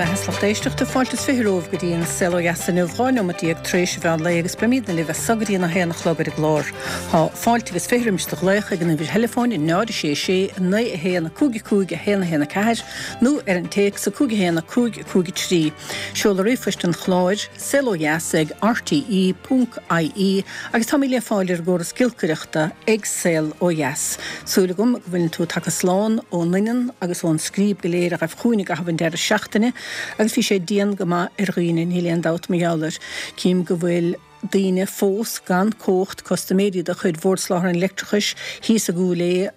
beatha is lucht éisteachta, fáilte is 20 romhaibh go dtí an Saol Ó Dheas inniu, 12 neomat tar éis an mheán lae agus beimidne libh as so go dtí an 1 a chlog ar an gclár. Tá fáilte agus 20 roimis do ghlaoch ag an uimhir theileafóin 0 6 6 9 1 5 5 1 1 4 nó ar an téacs 5 1 5 5 3. Seoladh ríomhphoist an chláir, saolodheas ag rte ponc ie agus táimid le fáil ar an gcóras giolcaireachta ag Saol Ó Dheas. Súil agam go bhfuileann tú tagtha slán ón nDoineann agus ón scríob go léir a ghaibh chugainn i gcaitheamh an deireadh seachtaine agus bhí sé dian go maith ar dhaoine, níl aon dabht mar gheall air. Cím go bhfuil daoine fós gan cumhacht, custaiméirí de chuid Bhord Soláthair an Leictreachais thíos i gCúil Aodha,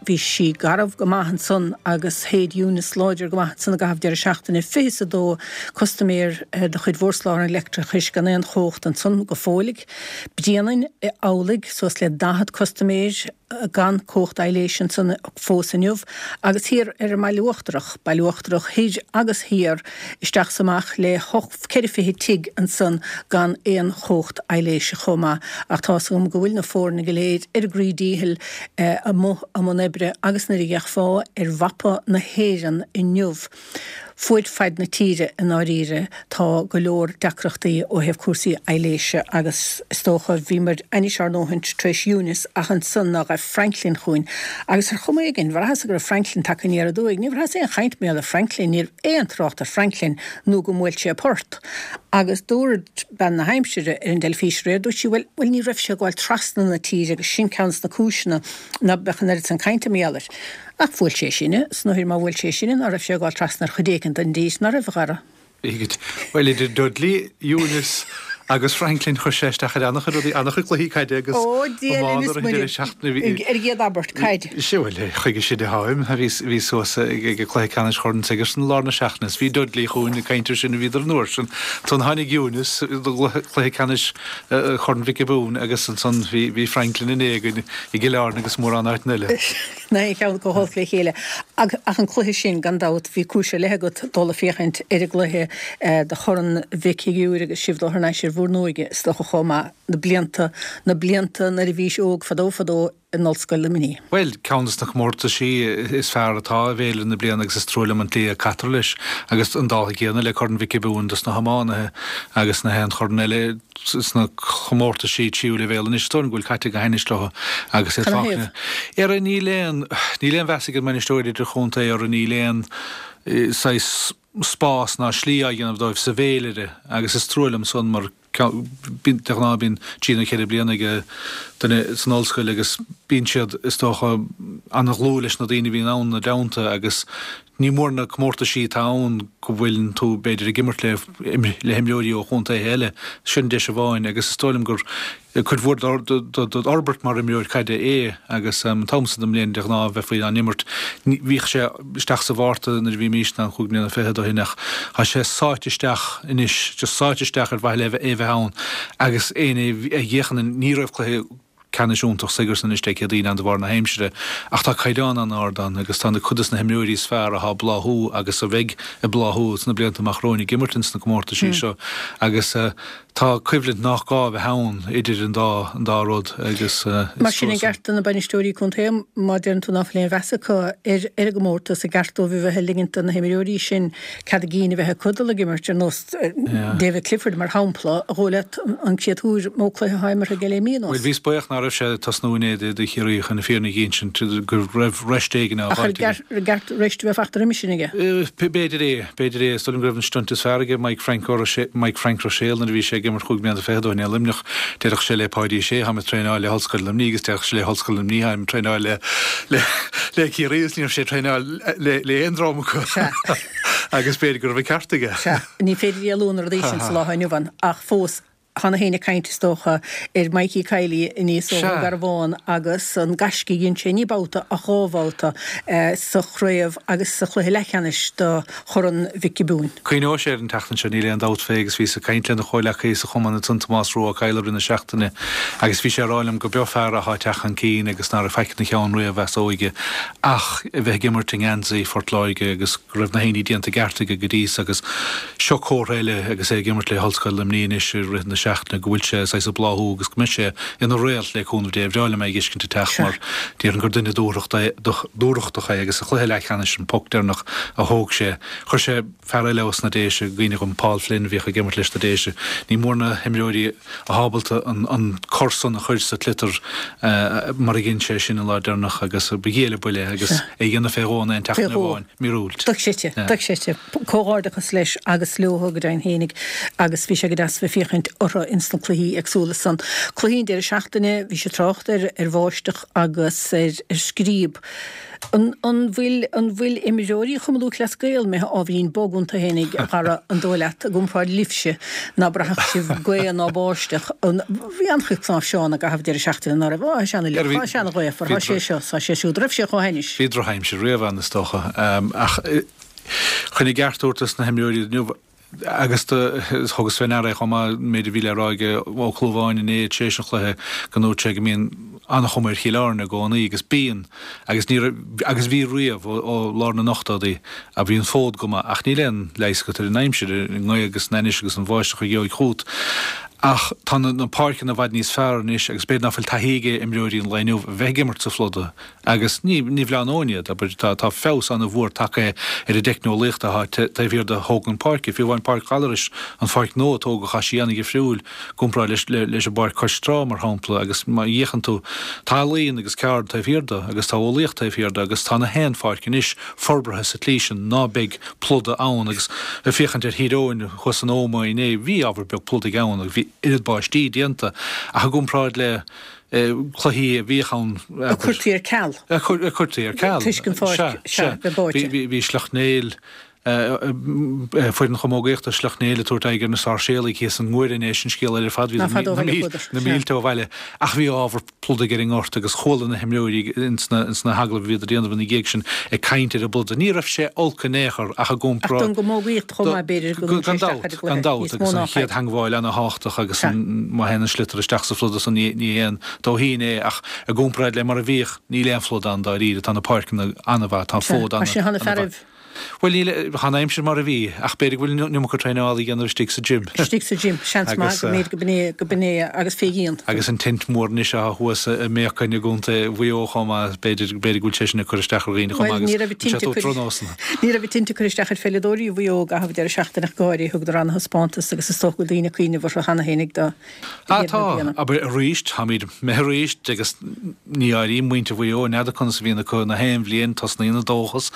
Bhí sí garbh go maith ansan agus shéid Eunice láidir go maith ansan i gcaitheamh deireadh seachtaine. 22 custaiméir de chuid Bhord Soláthair an Leictreachais gan aon chumhacht ansan go fóill. Bréanainn amhlaidh, suas le 40 custaiméir gan cumhacht aibhléise ansan fós inniu. Agus thiar ar an mBaile Uachtarach, Baile Uachtarach thoir agus thiar, isteach 's amach le ceithre fichid tigh ansan gan aon chumhacht aibhléise chomh maith. Ach tá's agam go bhfuil na foirne go léir ar a gcroí díchill amuigh i mbun oibre agus nuair a d'fhéachfá ar mhapa na hÉireann inniu, fuaid faid na tíre i ndáiríre, tá go leor deacrachtaí ó thaobh cúrsaí aibhléise agus is dócha, bhíomar ainnis ár ndóthain tar éis Eunice ach ansan ná ghaibh Franklin chugainn agus ar chuma éigin, bhraitheas go raibh Franklin tagtha aniar aduaidh. Ní bhraitheas aon chaint mar gheall ar Franklin, ní raibh aon trácht ar Franklin nó go mbuail sé port. Agus dúirt bean na haimsire ar an dteilifís aréir, dúirt sí, bhuel, bhuel ní raibh sé ag gabháil trasna na tíre agus sin ceann des na cúiseanna ná beadh an oiread san cainte mar gheall air. Ach bhuail sé sinne, 's nuair má bhuail sé sinne ná raibh sé ag gabháil trasna ar chuid éicint den dtír, ná raibh, a Dhara? Bhí, bhuel idir Dudley, Eunice agus Franklin chuir sé isteach ar an-chuid rudaí, an-chuid cluichí caide agus Ó, Dia linn iomána is ar an deireadh seachtaine. Bhí, ar an gcéad abairt, caid. Sea, bhuel, chuige sin atáim. Bhí suas ag cluiche ceannais Chorn Sigerson i lár na seachtaine is bhí Dudley chugainn ag caint air sin a bhíodar an uair sin. Ansan tháinig Eunice do chluiche ceannais Chorn Mhic Giobúin agus ansan bhí Franklin inné againn i gCill Airne agus mórán áiteanna eile. Ná aon cheann chomh holc le chéile. Ach an cluiche sin, gan dabht, bhí cúis ar leith agat dul ag féachaint ar an gcluiche do Chorn Mhic Shigiúir agus sibh dul thar n-ais ar bhur n-óige, is dócha, chomh maith. Na blianta, na blianta nuair a bhís óg fadó fadó in Ollscoil Luimnigh. Bhuel, ceann des na comórtaisí is fearr atá i bhféilire na bliana agus is trua liom an tslí a caitear leis agus an dála céanna le Corn Mhic Giobúin dos na hiománaithe agus na haon chorn eile sna comórtaisí tríú leibhéal anois. Is dóigh liom go bhfuil caite go hainnis leo agus iad fágtha. Ara níl aon, níl aon mheas ag an mbainisteoir idirchontae orthu, níl aon saghas spás ná slí á dhéanamh dóibh sa bhféilire agus is trua liom san mar de ghnáth bíonn trí nó cheithre bliana ag duine san ollscoil agus bíonn siad is dócha an-dhlúth leis na daoine a bhíonn ann ina dteannta agus ní mór na comórtaisí atá ann go bhfuileann tú b'fhéidir ag imirt le le himreoirí ó chontaetha eile, sin deis amháin agus is dóigh liom gur cuid mhór d'fhorbairt mar imreoir caide é agus an t-am san den mbliain de ghnáth bheifí á n-imirt. Bhíodh sé isteach sa Mhárta nuair a bhímís ann chúig mbliana fichead ó shin ach tá sé sáite isteach anois, just sáite isteach ar mhaithe le é a bheith ann agus éinne a fhéachann ní raibh cluiche ceannais iontach Sigerson anois Dé Céadaoin ann de bharr na haimsire ach tá caighdeán an-ard ann agus tá na cuid des na himreoirí is fearr atá ag bláthú agus a bheidh ag bláthú sna blianta amach romhainn ag imirt ins na comórtaisí seo agus Tá coimhlint nach gá a bheith ann idir an dá an dá rud agus is Mar sin, an gceart do na bainisteoirí contae, má deireann tú ná fuil aon mheas acu ar ar an gcomórtas, an gceart dóibh a bheith ag ligint do na himreoirí sin cead a gcinn a bheith acu dul ag imirt, ar nós David Clifford, mar shampla, a dhóigh leat an créatúr mó cluiche atá imeartha aige le mí anuas? Bhuel, bhíos buíoch ná raibh sé ag tosnú inné do Chiarraí chun na fírinne a dh'insint, go raibh rest éigin á Ach ar fháilt aige. gceart rest a bheith fachta roimis sin aige? B'fhéidir é. B'fhéidir é. Is dóigh liom go raibh an stunt is fearr aige Mike Frank Mike Frank Ruiséal nuair a bhí sé ag imirt chúig mbliana fichead ó shin i Luimneach. Déarfadh sé le Páidí Ó Sé, Táim ag traenáil le hOllscoil Luimnigh agus déarfadh sé le hOllscoil Luimnigh, Táim ag traenáil le le le Ciarraí agus ní raibh sé ag traenáil le le aon dream acu. Sea. Agus b'fhéidir go raibh an ceart aige. Sea. Ní féidir éalú ó na rudaí sin sa lá atá inniu ann ach fós Tá na héinne ag caint, is dócha, ar Mikey Kiely aníos ó Dhún Garbhán agus an gaisce a dhein sé, ní babhta ach dhá bhabhta, sa chraobh agus sa chluiche leathcheannais do Chorn Mhic Giobúin. Cuimhneoidh sé air an tseachtain seo, níl aon dabht fé, agus bhíos ag caint lena chomhleacaí sa chumann ansan, Tomás Rua Ó Cadhla, i rith na seachtaine agus bhí sé ag rá liom go b'eo fear athá ag teacht chun cinn agus ná raibh faic ina cheann riamh as óige ach a bheith ag imirt i ngeansaí Phort Láirge agus go raibh na héinní déanta i gceart aige go dtí so agus seo comhartha eile agus é ag imirt le hOllscoil Luimnigh anois i rith na. seachtaine go bhfuil sé saghas ag bláthú agus go mbeidh sé ina réalt le cúnamh Dé. Bhreá liom é a dh'fheiscint ag teacht mar déarfainn gur duine dúthrachtach é agus sa chluiche leathcheannais an poc deireanach a thóg sé, chuir sé fear eile os na Déise i gcuimhne dhom, Paul Flynn a bhíodh ag imirt leis na Déise. Ní mór na himreoirí atá ábalta an cor san a chur sa tsliotar mar a dhein sé sin an lá deireanach agus ba ghiall an buille é agus é a dhéanamh fé dhó in aon tseachtain amháin, míorúilt. Dochreidte, dochreidte. Comhghairdeachas leis agus leo go deimhin fhéinig agus bhí sé go deas bheith féachaint orthu ins na cluichí éagsúla san. Cluichí an deireadh seachtaine, bhí sé trácht ar ar bháisteach agus ar ar scríob. An an bhfuil an bhfuil imreoirí Chumann Lúthchleas Gael imithe ábhairín bog iontu fhéinig, a Dhara, an dóigh leat, i gcomparáid libhse, ná braithfeadh sibh gaoth ná báisteach? An bhí an-chuid cnáimhseán i gcaitheamh an deireadh seachtaine, ná raibh? Á, tá sé ana-fhliuch, tá sé ana-ghaofar, tá sé seo, tá sé siúd. Raibh sé chomh hainnis? Bhí drochaimsir riamh ann, is dócha. Ach chun a gceart a thabhairt dos na himreoirí inniu, agus thugas fé ndeara é chomh maith, an méid a bhí le rá ag Ó Clúmháin inné tar éis an chluiche, go ndúirt sé go mbíonn an-chuma ar Chill Airne i gcónaí, agus bíonn, agus ní raibh, agus bhí riamh, ó lár na n-ochtóidí, a bhí an fód go maith, ach níl aon leigheas agat ar an aimsir, ar an ngaoth agus an ainnis agus an bháisteach a gheobhaidh chugat. Ach tá na páirceanna i bhfad níos fearr anois agus b'fhéidir ná fuil taithí ag imreoirí an lae inniu a bheith ag imirt sa phluda, Agus ní bhleánóinn iad, abair, tá feabhas an-mhór tagtha ar an dteicneolaíocht atá taobh thiar de thógaint páirce. Fiú amháin Páirc Ghallarais, an pháirc nua a tógadh, tá sí an-dhifriúil i gcomparáid leis an bpáirc cois trá, mar shampla, agus má fhéachann tú, tá ealaín agus ceard taobh thiar de, agus tá eolaíocht taobh thiar de, agus tá na haon pháirc anois forbartha sa tslí sin ná beidh pluda ann. Agus ag féachaint ar Thír Eoghain thuas in Ómaigh inné, bhí ábhar beag pludaigh ann agus bhí oiread báistí déanta, ach i gcomparáid le cluichí a bhíodh ann. A cuirtí ar ceal. A cuirtí ar ceal. Toisc an pháirc, sea, bheith báite. Bhí Sleacht Néill, foireann chamógaíochta Shleacht Néill ag tabhairt aghaidh ar na Sáirséalaigh thíos i nGuaire inné, sin scéal eile ar fad, bhí na mílte ó bhaile. Ach bhí ábhar pludaigh ar an ngort agus chuala na himreoirí ins na hagallaimh a bhíodar a dhéanamh ina dhiaidh sin ag caint ar an bpluda. Ní raibh sé olc in aon chor ach i gcomparáid. Ach don gcamógaíocht chomh maith, b'fhéidir, go gcuireann sé isteach ar an gcluiche. Gan dabht, agus an chéad theangmháil ana-thábhachtach agus má théann an sliotar isteach sa phluda san ní haon dóithín é ach i gcomparáid le mar a bhíodh, níl aon phlud ann dáiríre, tá na páirceanna an-mhaith, tá an fód an-mhaith. Bhuel, níl, tá an aimsir mar a bhí, ach b'fhéidir go bhfuil an iomarca traenála a dhéanamh istigh sa gym. Istigh sa gym, seans maith go mb'fhéidir go b'in é, go b'in é agus fé dhíon. Agus an tint mhór anois atá thuas i mBéacain i gContae Mhaigh Eo chomh maith, b'fhéidir, b'fhéidir go bhfuil sé sin ag cur isteach ar dhaoine chomh maith agus bhfuil sé ag tabhairt droichnósanna. Ní raibh an tinte ag cur isteach ar pheileadóirí Mhaigh Eo i gcaitheamh an deireadh seachtaine ach go háirithe, thugadar ana-thaispeántas agus is dócha go bhfuil daoine ag cuimhneamh orthu cheana féin ag do Ah tá, abair arís, táimid imithe arís agus ní áirím muintir Mhaigh Eo, n'fheadar conas a bhíonn acu na haon bhliain, tosnaíonn an dóchas,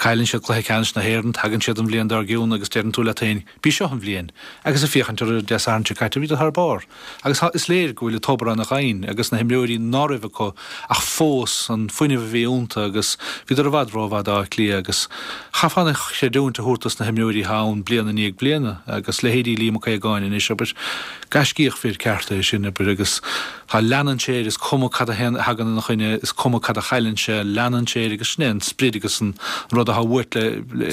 cailleann siad cluiche ceannais na hÉireann, tagann siad an bhliain dár gcionn agus deireann tú leat féin, b'í seo an bhliain. Agus ag féachaint orthu Dé Sathairn seo caite, bhíodar thar barr. Agus is léir go bhfuil an tobar ana-dhoimhin agus na himreoirí ná raibh acu ach fós an fuinneamh a bhí iontu agus bhíodar i bhfad rómhaith d'Áth Cliath agus chaithfeá an chreidiúint a thabhairt dos na himreoirí atá ann bliain i ndiaidh bliana agus leithéidí Liam Mac Aogáin anois, abair, gaiscíoch fir ceart é sin, abair, agus tá leanann sé air, is cuma cad a thagann ina choinne, is cuma cad a chailleann sé, leanann sé air agus sin é an sprid agus an rud atá uait le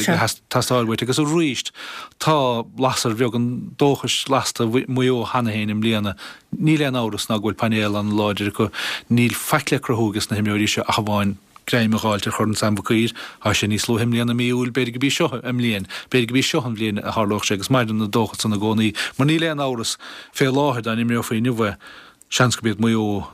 teastáil uait agus arís Tá lasair bheag an dóchais lasta i Maigh Eo cheana féin i mbliana. Níl aon amhras ná go bhfuil painéal an-láidir acu. Níl faic le cruthú ages na himreoirí seo ach amháin greim a dh'fháilt ar Chorn Sam Mhic Uidhir. Tá sé níos luaithe i mbliana, mí Iúil, b'fhéidir go b'í seo an mbliain, b'fhéidir go b'í seo an bhliain a tharlódh sé agus maireann an dóchas san i gcónaí. Mar níl aon amhras, fé láthair, dá n-imreofaí inniu é, seans go b'iad Maigh Eo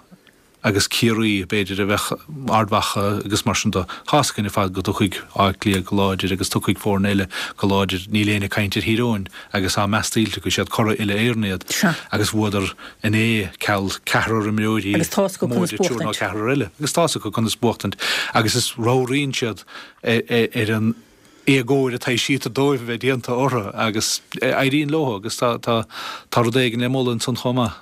agus Ciarraí, b'fhéidir, a bheadh Ard Mhacha agus mar sin de. Tá's againn ar fad go dtiocfaidh Áth Cliath go láidir agus tiocfaidh foirne eile go láidir. Níl éinne ag caint ar Thír Eoghain agus tá meas tuillte acu, siad curaidh uile-Éireann iad agus bhuadar inné ceal ceathrar imreoirí móide triúr nó ceathrar eile agus tá's acu conas buachtaint agus is ramhraíonn siad ar an éagóir a taibhsítear dóibh a bheith déanta orthu agus éiríonn leo agus tá tá tá rud éigin le moladh ansan chomh maith.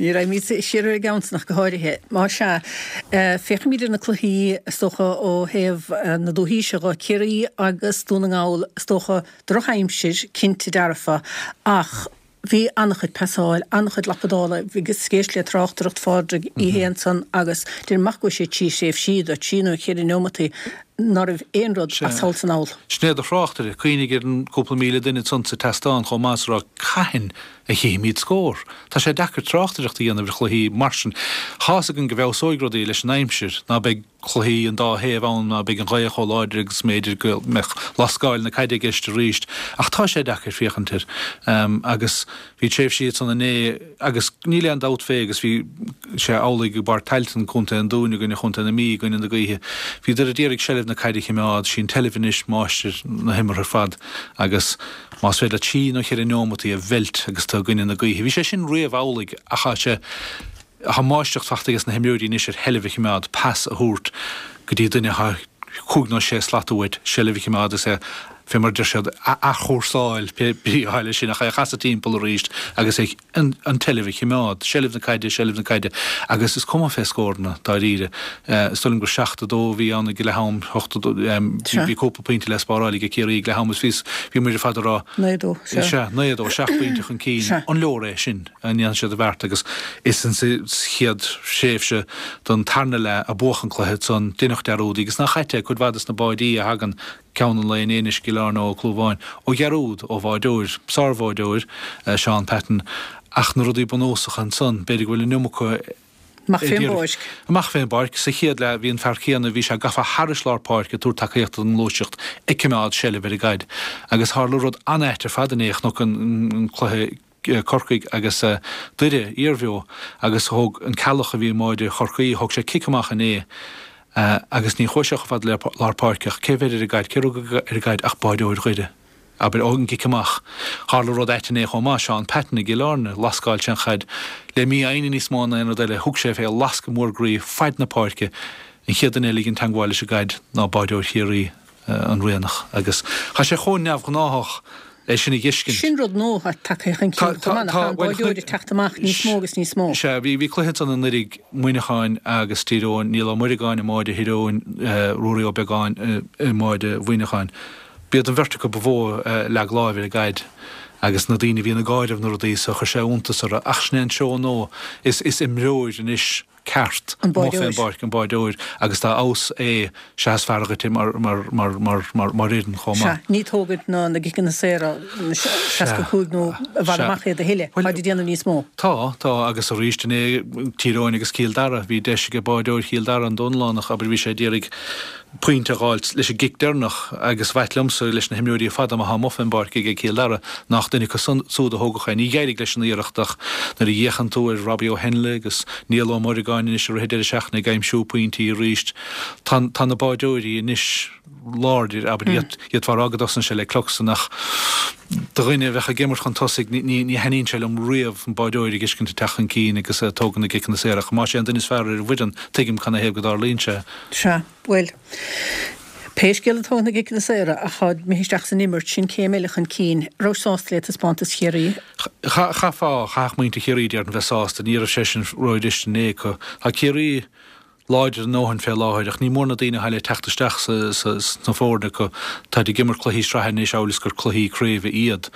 Ní raghaimid siar ar an gceann san ach go háirithe. Más ea, féachfaimid ar na cluichí, is dócha, ó thaobh na dúichí seo dhe, Ciarraí agus Dún na nGall, is dócha, drochaimsir, cinnte dearfa, ach Bhí an-chuid pasáil, an-chuid lapadála, bhíos ag éisteacht le tráchtaireacht Phádraig í fhéin ansan agus deirim amach go bhfuil sé trí thréimhsí de thrí nó ceithre neomataí. Ná raibh aon rud as thall 's anall. Sin é do thráchtaire, cuimhnigh ar an gcúpla 1,000 duine ansan sa tseastán chomh maith is a rá cathain a chífimid scór? Tá sé deacair tráchtaireacht a dhéanamh ar chluichí mar sin. Tá's againn go bhfeabhsóidh rudaí leis an aimsir, ná beidh cluichí an dá thaobh ann, ná beidh an ghaoth chomh láidir agus mb'fhéidir go mbeadh lascáil na caide i gceist arís. Ach tá sé deacair féachaint air. Agus bhí tréimhsí ansan inné agus níl aon dabht fé agus bhí sé amhlaidh i bPáirc Tailteann, Contae an Dúin i gcoinne Chontae na Mí i gcoinne na gaoithe. Bhíodar ag iarraidh seilbh na caide a chimeád, sí an tseilbh anois máistir na himeartha ar fad agus más féidir leat trí nó cheithre neomataí a mheilt agus tú i gcoinne na gaoithe. Bhí sé sin riamh amhlaidh ach tá sé Tá máistreacht fachta ages na himreoirí anois ar sheilbh a chimeád, pas a thabhairt go dtí duine atá cúig nó sé slat uait, seilbh a chimeád is é, fé mar a deir siad, a athchúrsáil, pé brí atá leis sin, ach é a chasadh timpeall arís agus é an tseilbh a chimeád. Seilbh na caide, seilbh na caide. Agus is cuma fé scóranna, dáiríre. Is dóigh liom gur 7, 2 a bhí ann ag leath am, 8, 2, bhí cúpla pointe le spáráil ag Ciarraí ag leath am is bhí muid ar fad ag rá, 9, 2, sea. Sea, 9, 2, seacht bpointe chun cinn. An leor é sin? a ndéanfaidh siad an bheart agus is insa chéad thréimhse den tarna leath a buadh an cluiche ansan. Deineadh dearúd agus nach ait é cuid mhaith des na báidí a thagann ceann an lae inné anois i gCill Airne ó Cill Airne ó dhearúd ó bháideoir, sárbháideoir, Seán Patton ach na rudaí bunúsacha ansan b'fhéidir go bhfuil an iomarca Amach fén bpáirc. Amach fén bpáirc. Sa chéad leath bhí an fear céanna, bhí sé gafa thairis lár páirce ag tabhairt tacaíochta don ngluaiseacht, ag coimeád seilbh ar an gcaid. Agus tharla rud an-ait ar fad inné, chonac an cluiche Corcaigh agus Doire, iarbheo, agus thóg an Ceallach a bhí i mbáide Chorcaí, thóg sé cic amach inné agus ní chuaigh sé chomh fada le lár páirce ach cé bheir ar an gcaid, cé rug ar an gcaid ach báideoir Dhoire. Abair, ón gcic amach. Tharla rud ait inné chomh maith, Seán Patton i gCill Airne, lascáil sé an chaid le mífhoighne níos mó ná aon rud eile, thug sé fé lascadh mór groí faid na páirce, an chéad duine eile a dhein teangmháil leis an gcaid ná báideoir Chiarraí. an Rianach agus tá sé chomh neamhghnáthach é sin a dh'fheiscint. Sin rud nua atá tagtha chun cinn chomh maith, nach ea, an báideoir ag teacht amach níos mó agus níos mó. Sea, bhí cluiche ansan anuiridh, Muineachán agus Tír Eoghain, Niall Ó Muireagáin i mbáide Thír Eoghain, Ruairí Ó Beagáin i mbáide Mhuineacháin. B'iad an bheirt acu ba mhó a leag láimh ar an gcaid agus na daoine a bhíonn ag áireamh na rudaí so, chuir sé iontas orthu. Ach sin é an treo nua, is imreoir anois. ceart An amuigh fén báideoir. bpáirc, an báideoir, agus dá fheabhas é sea is fearr dhuit é mar, mar, mar, mar, mar, mar fhoireann chomh Sea, maith. ní tógaint na, na gciceanna saora, na 65 nó i bhfad Sea. amach iad a thuilleadh, Bhuel, táid ag déanamh níos mó. Tá, tá, agus arís inné, Tír Eoghain agus Cill Dara, bhí deis ag báideoir Chill Dara, an Donnlánach, abair, bhí sé ag iarraidh pointe a dh'fháilt leis an gcic deireanach agus b'ait liomsa leis na himreoirí ar fad atá amuigh fén bpáirc aige Cill Dara nach duine acu súd a thógfadh é. Ní d'éirigh leis an iarracht ach nuair a fhéachann tú ar Robbie Ó Henle agus Niall Ó Muireagáin anois i rith an deireadh seachtaine ag aimsiú pointí arís tá tá na báideoirí anois láidir, abair, d'fhéadfá a rá go dtosaíonn sé le Cluxton ach do dhuine a bheadh ag imirt chun tosaigh ní ní thaitníonn sé liom riamh an báideoir a dh'fheiscint ag teacht chun cinn agus ag tógaint na gciceanna saora ach más é an duine is fearr ar an bhfoireann tuigim canathaobh go dtarlaíonn sé. Sea, bhuel, pé scéal atá na gciceanna saora ach tá imithe isteach san imirt, sin céim eile chun cinn. Raibh sásta le taispeántas Chiarraí? Chaithfeá, chaithfeadh muintir Chiarraí déarfainn bheith sásta, ní raibh sé sin rófhuirist inné acu. Tá Ciarraí láidir a ndóthain fé láthair ach ní mór na daoine atá le teacht isteach sna foirne acu. Táid ag imirt cluichí sraithe anois amhail is gur cluichí craoibhe iad.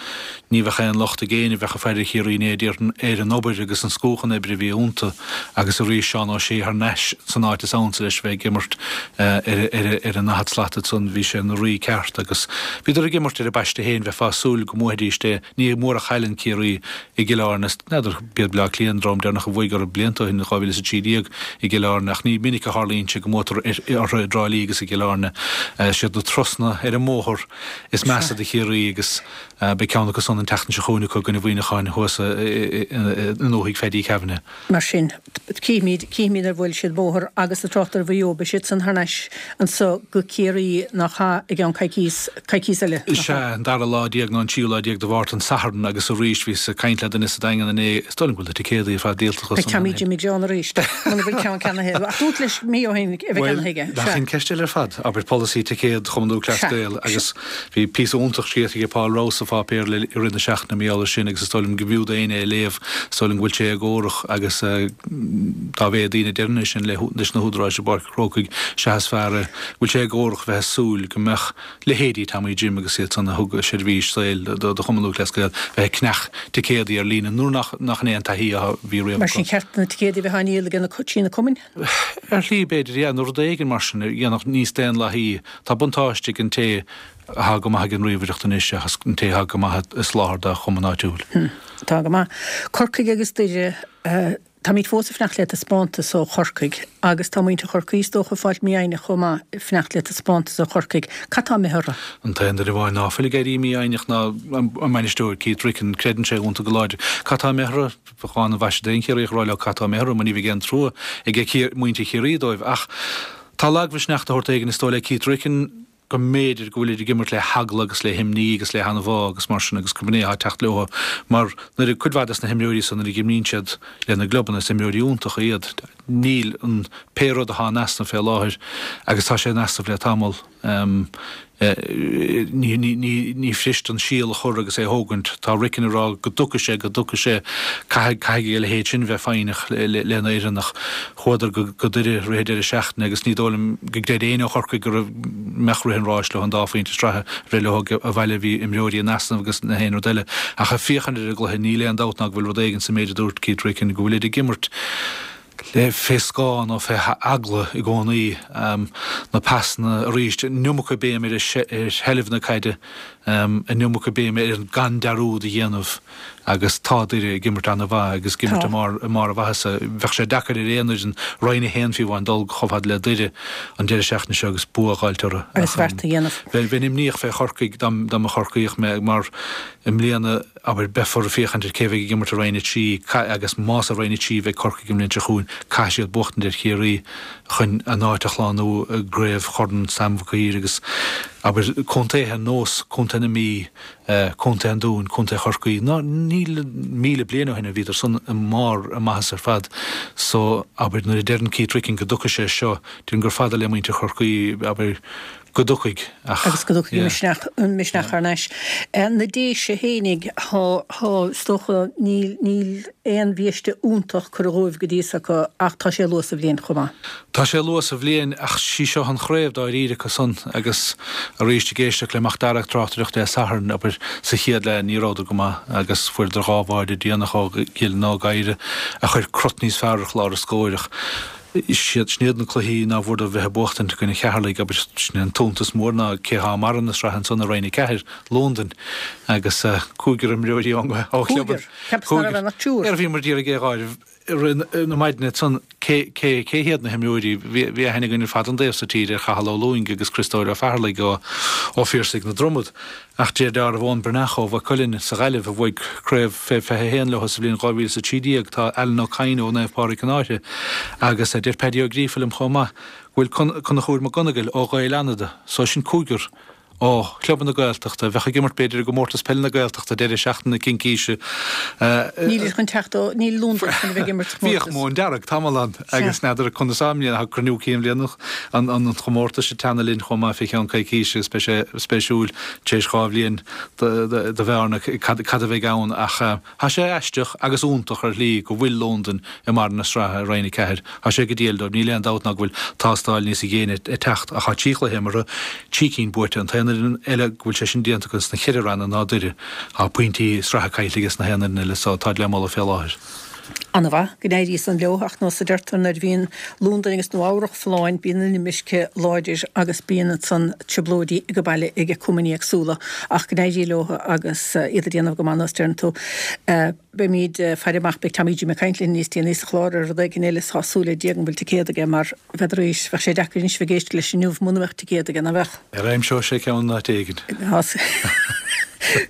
Ní bheadh aon locht ag éinne a bheadh ag faire ar Chiarraí inné déarfainn ar an obair agus an scúchan oibre a bhí iontu. Agus arís Seán Ó Sé thar n-ais san áit is ansa leis bheith ag imirt ar an ndaichead slat ansan, bhí sé ina rí ceart agus bhíodar ag imirt ar a bpaiste féin, bheifeá ag súil go mbuafaidís é. Ní mór a chailleann Ciarraí i gCill Airne, n'fheadar, b'iad Bleá Cliath an dream deireanach a bhuaigh orthu blianta ó shin, 2013 i gCill Airne, ach ní minic a tharlaíonn sé go mbuatar orthu i dTrá Lí agus i gCill Airne. Siad na turasanna ar an mbóthar is measa do Chiarraí agus Beidh ceann acu san an tseachtain seo chugainn acu i gcoinne Mhuineacháin thuas i ndúthaigh Pheaidí Kavanagh. Mar sin, cífimid, cífimid ar bhuail siad bóthar agus ag trácht ar Mhaigh Eo, beidh siad san thar n-ais anso go Ciarraí nach ea i gceann coicíos, coicíos eile, nach ea? Sea, an dara lá déag nó an tríú lá déag de Mhárta, an Satharn, agus arís bhíos ag caint le duine sa Daingean inné, is dóigh liom go bhfuil na ticéadaí ar fad díolta acu Beidh san Tommy Jimmy John arís, muna bhfuil ceann ceannaithe, ach dúirt leis mí ó shin a bheith Bhuel, ceannaithe aige, nach sea. in ceist eile ar fad, abair polasaí ticéad Chumann Lúthchleas Sea, Gael sea. agus Bhí píosa iontach scríofa ag Paul Rouse sa pháipéar i rith na seachtaine mar gheall air sin agus is dóigh liom go mb'fhiú d'éinne é a léamh. Is dóigh liom go bhfuil sé éagórach agus dá mhéad daoine a deireann é sin leis na húdaráis i bPáirc an Chrócaigh sea is fearr é. Bhfuil sé éagórach bheith ag súil go mbeadh leithéidí Tommy Jim agus iad san a thug seirbhís saoil do Chumann Lúthchleas Gael bheith ag ceannach ticéadaí ar líne nuair nach in é an taithí a bhí riamh Mar acu. sin cheart na ticéadaí a bheith á ndíol ag na, trí na cumainn? Ar shlí, b'fhéidir, yeah, nó rud éigin mar sin a dhéanfadh níos daonlathaí. Tá buntáiste ag an té atá go maith ag an ríomhaireacht anois seachas an té atá go maith ag soláthar dá chumann áitiúil. Tá go maith. Corcaigh agus Doire, táimid fós ag fanacht le taispeántas ó Chorcaigh agus tá muintir Chorcaí is dócha ag fáilt mífhoighneach chomh maith ag fanacht le taispeántas ó Chorcaigh. Cad tá imithe orthu? An t-aon duine amháin ná fuil ag éirí mífhoighneach ná an bainisteoir, Keith Ricken. Creideann sé iontu go láidir. Cad tá imithe orthu? Bheadh an-mhaise d'aon Chiarraíoch a rá leo cad tá imithe orthu mar ní bheidh aon trua ag muintir Chiarraí dóibh. Ach tá lagmhisneach de shórt éigin is dóigh le Keith Ricken go mb'fhéidir go bhfuilid ag imirt le heagla agus le himní agus le hanbhá agus mar sin agus gurb in é atá ag teacht leo mar nuair a, cuid mhaith des na himreoirí san nuair a imríonn siad lena gclubanna is imreoirí iontacha iad. Níl an, pé rud atá in easnamh fé láthair agus tá sé in easnamh le tamall, ní, ní, ní, ní fuirist an síol a chur agus é a thógaint. Tá Ricken ag rá go dtiocfaidh sé, go dtiocfaidh sé, caithfidh, caithfidh a leithéid sin bheith foighneach lena fhoireann ach chuadar go Doire rith an deireadh seachtaine agus ní dóigh liom go gcreid éinne ó Chorcaigh go raibh mbeadh rith an ráis leo an dá phointe sraithe a bhreith leo abhaile bhí imreoirí in easnamh agus na haon rud eile ach ag féachaint ar an gcluiche níl aon dabht ná go bhfuil rud éigin sa méid a dúirt Keith Ricken go bhfuilid ag imirt le fé scáth nó fé eagla i gcónaí na pasanna arís an iomarca béim ar sheilbh na caide an iomarca béime ar an gan dearúd a dhéanamh agus tá Doire ag imirt ana-mhaith agus ag imirt i mbarr i mbarr a mhaitheasa. Bheadh sé deacair ar aon fhoireann Roinn 1 fiú amháin dul chomh fada le Doire an deireadh seachtaine seo agus bua a dh'fháilt orthu. Agus beart a dhéanamh. Bheinn imníoch fé Chorcaigh dá mba Chorcaíoch mé mar i mbliana abair beifear ag féachaint ar cé bheidh ag imirt i Roinn 3 agus más i Roinn 3 a bheidh Corcaigh an bhliain seo chugainn caithfidh siad buachtaint ar Chiarraí chun a n-áit a shlánú i gCraobh Chorn Sam Mhic Uidhir agus abair contaetha ar nós Contae na Mí, Contae an Dúin, Contae Chorcaí, ná níl 1,000 bliain ó shin a bhíodar san i mbarr a maitheasa ar fad so abair nuair a deireann Keith Ricken go dtiocfaidh sé seo, deirim gur fada le muintir Chorcaí abair go dtiocfaidh ach Agus go dtiocfaidh misneach, misneach thar n-ais. Na Déise fhéinig, thá, thá, is dócha, níl, níl aon bhiaiste iontach curtha dhóibh go dtí so acu ach tá sé luath sa bhliain chomh maith. Tá sé luath sa bhliain ach sí seo an chraobh dáiríre acu san agus arís ag éisteacht le Mac Dara ag tráchtaireacht Dé Sathairn, abair, sa chéad leath ní rabhadar go maith agus fuaireadar dhá bháide déanach ó Dhylan Ó Gadhra a chuir crot níos fearr ar chlár an scóir ach siad, sin iad na cluichí ná bhfuaireadar bheith ag buachtaint i gcoinne Cheatharlaigh, abair, sin é an t-iontas mór ná cé thá i mbarra na sraithe ansan i Roinn 4, Londain, agus cúigear imreoirí ón ó chlub an, Cúigear? Cheapas ná raibh ann ach triúr. Ar bhíomar d'iarraidh é dh'áireamh i rith na maidine ansan cé, cé, cé hiad na himreoirí, bhí, bhí aithne againn ar fad ón dtaobh so tíre ar Chathal Ó Lúing agus Criostóir Ó Featharlaigh ó, ó Phiarsaigh na Dromad. Ach deir d'áireamh Eoin Breathnach ó Mhaigh Cuilinn sa Ghaillimh, a bhuaigh craobh fé 21 leo sa bhliain 2013, tá Alan Ó Cadhain ó Naomh Pádraig Cionn Fháirche agus deir Paddy Ó Gríofa liom chomh maith go bhfuil Conchúr Mac Gonigle ó Ghaeil Fhánada, so sin cúigear ó chlubanna Gaeltachta a bheadh ag imirt b'fhéidir i gcomórtas peile na Gaeltachta deireadh seachtaine cincíse. Níl chun teacht ó, níl Londain chun a bheith ag imirt sa chomórtas. Bhíodh Móin Dearg tamall ann agus n'fheadar conas i mbliana, tá cruinniú cinn bhliana an chomórtais ag teannadh linn chomh maith fé cheann coicíse agus beidh sé spéisiúil tar éis 2 bhliain de bhearna cad a bheidh ann ach tá sé aisteach agus iontach ar shlí go bhfuil Londain i mbarr na sraithe i Roinn 4. Tá sé go diail dóibh, níl aon dabht ná go bhfuil tástáil níos déine ag teacht ach tá 3 chluiche imeartha, 3 cinn buaite. An t-aon fhoireann eile go bhfuil sé sin déanta acu sna cheithre ranna ná Doire. Tá pointí sraithe caillte aige sna haon fhoireann eile so táid le moladh fé láthair. An-mhaith go n-éirí san leo ach nós a deirtear nuair a bhíonn Londain agus Nua Eabhrach folláin bíonn an imirce láidir agus bíonn ansan trioblóidí ag baile ag cumainn éagsúla ach go n-éirí leo agus iad ag déanamh go maith nós deireann tú. Beimid ag faire amach beidh Tommy Jim ag caint linn níos déanaí sa chlár ar rud éigin eile is tá súil le Dia go bhfuil ticéad aige mar bheadh arís bheadh sé deacair anois bheith ag éisteacht leis inniu muna mbeadh ticéad aige nach mbeadh? Ar aimseoidh sé ceann in áit éigin?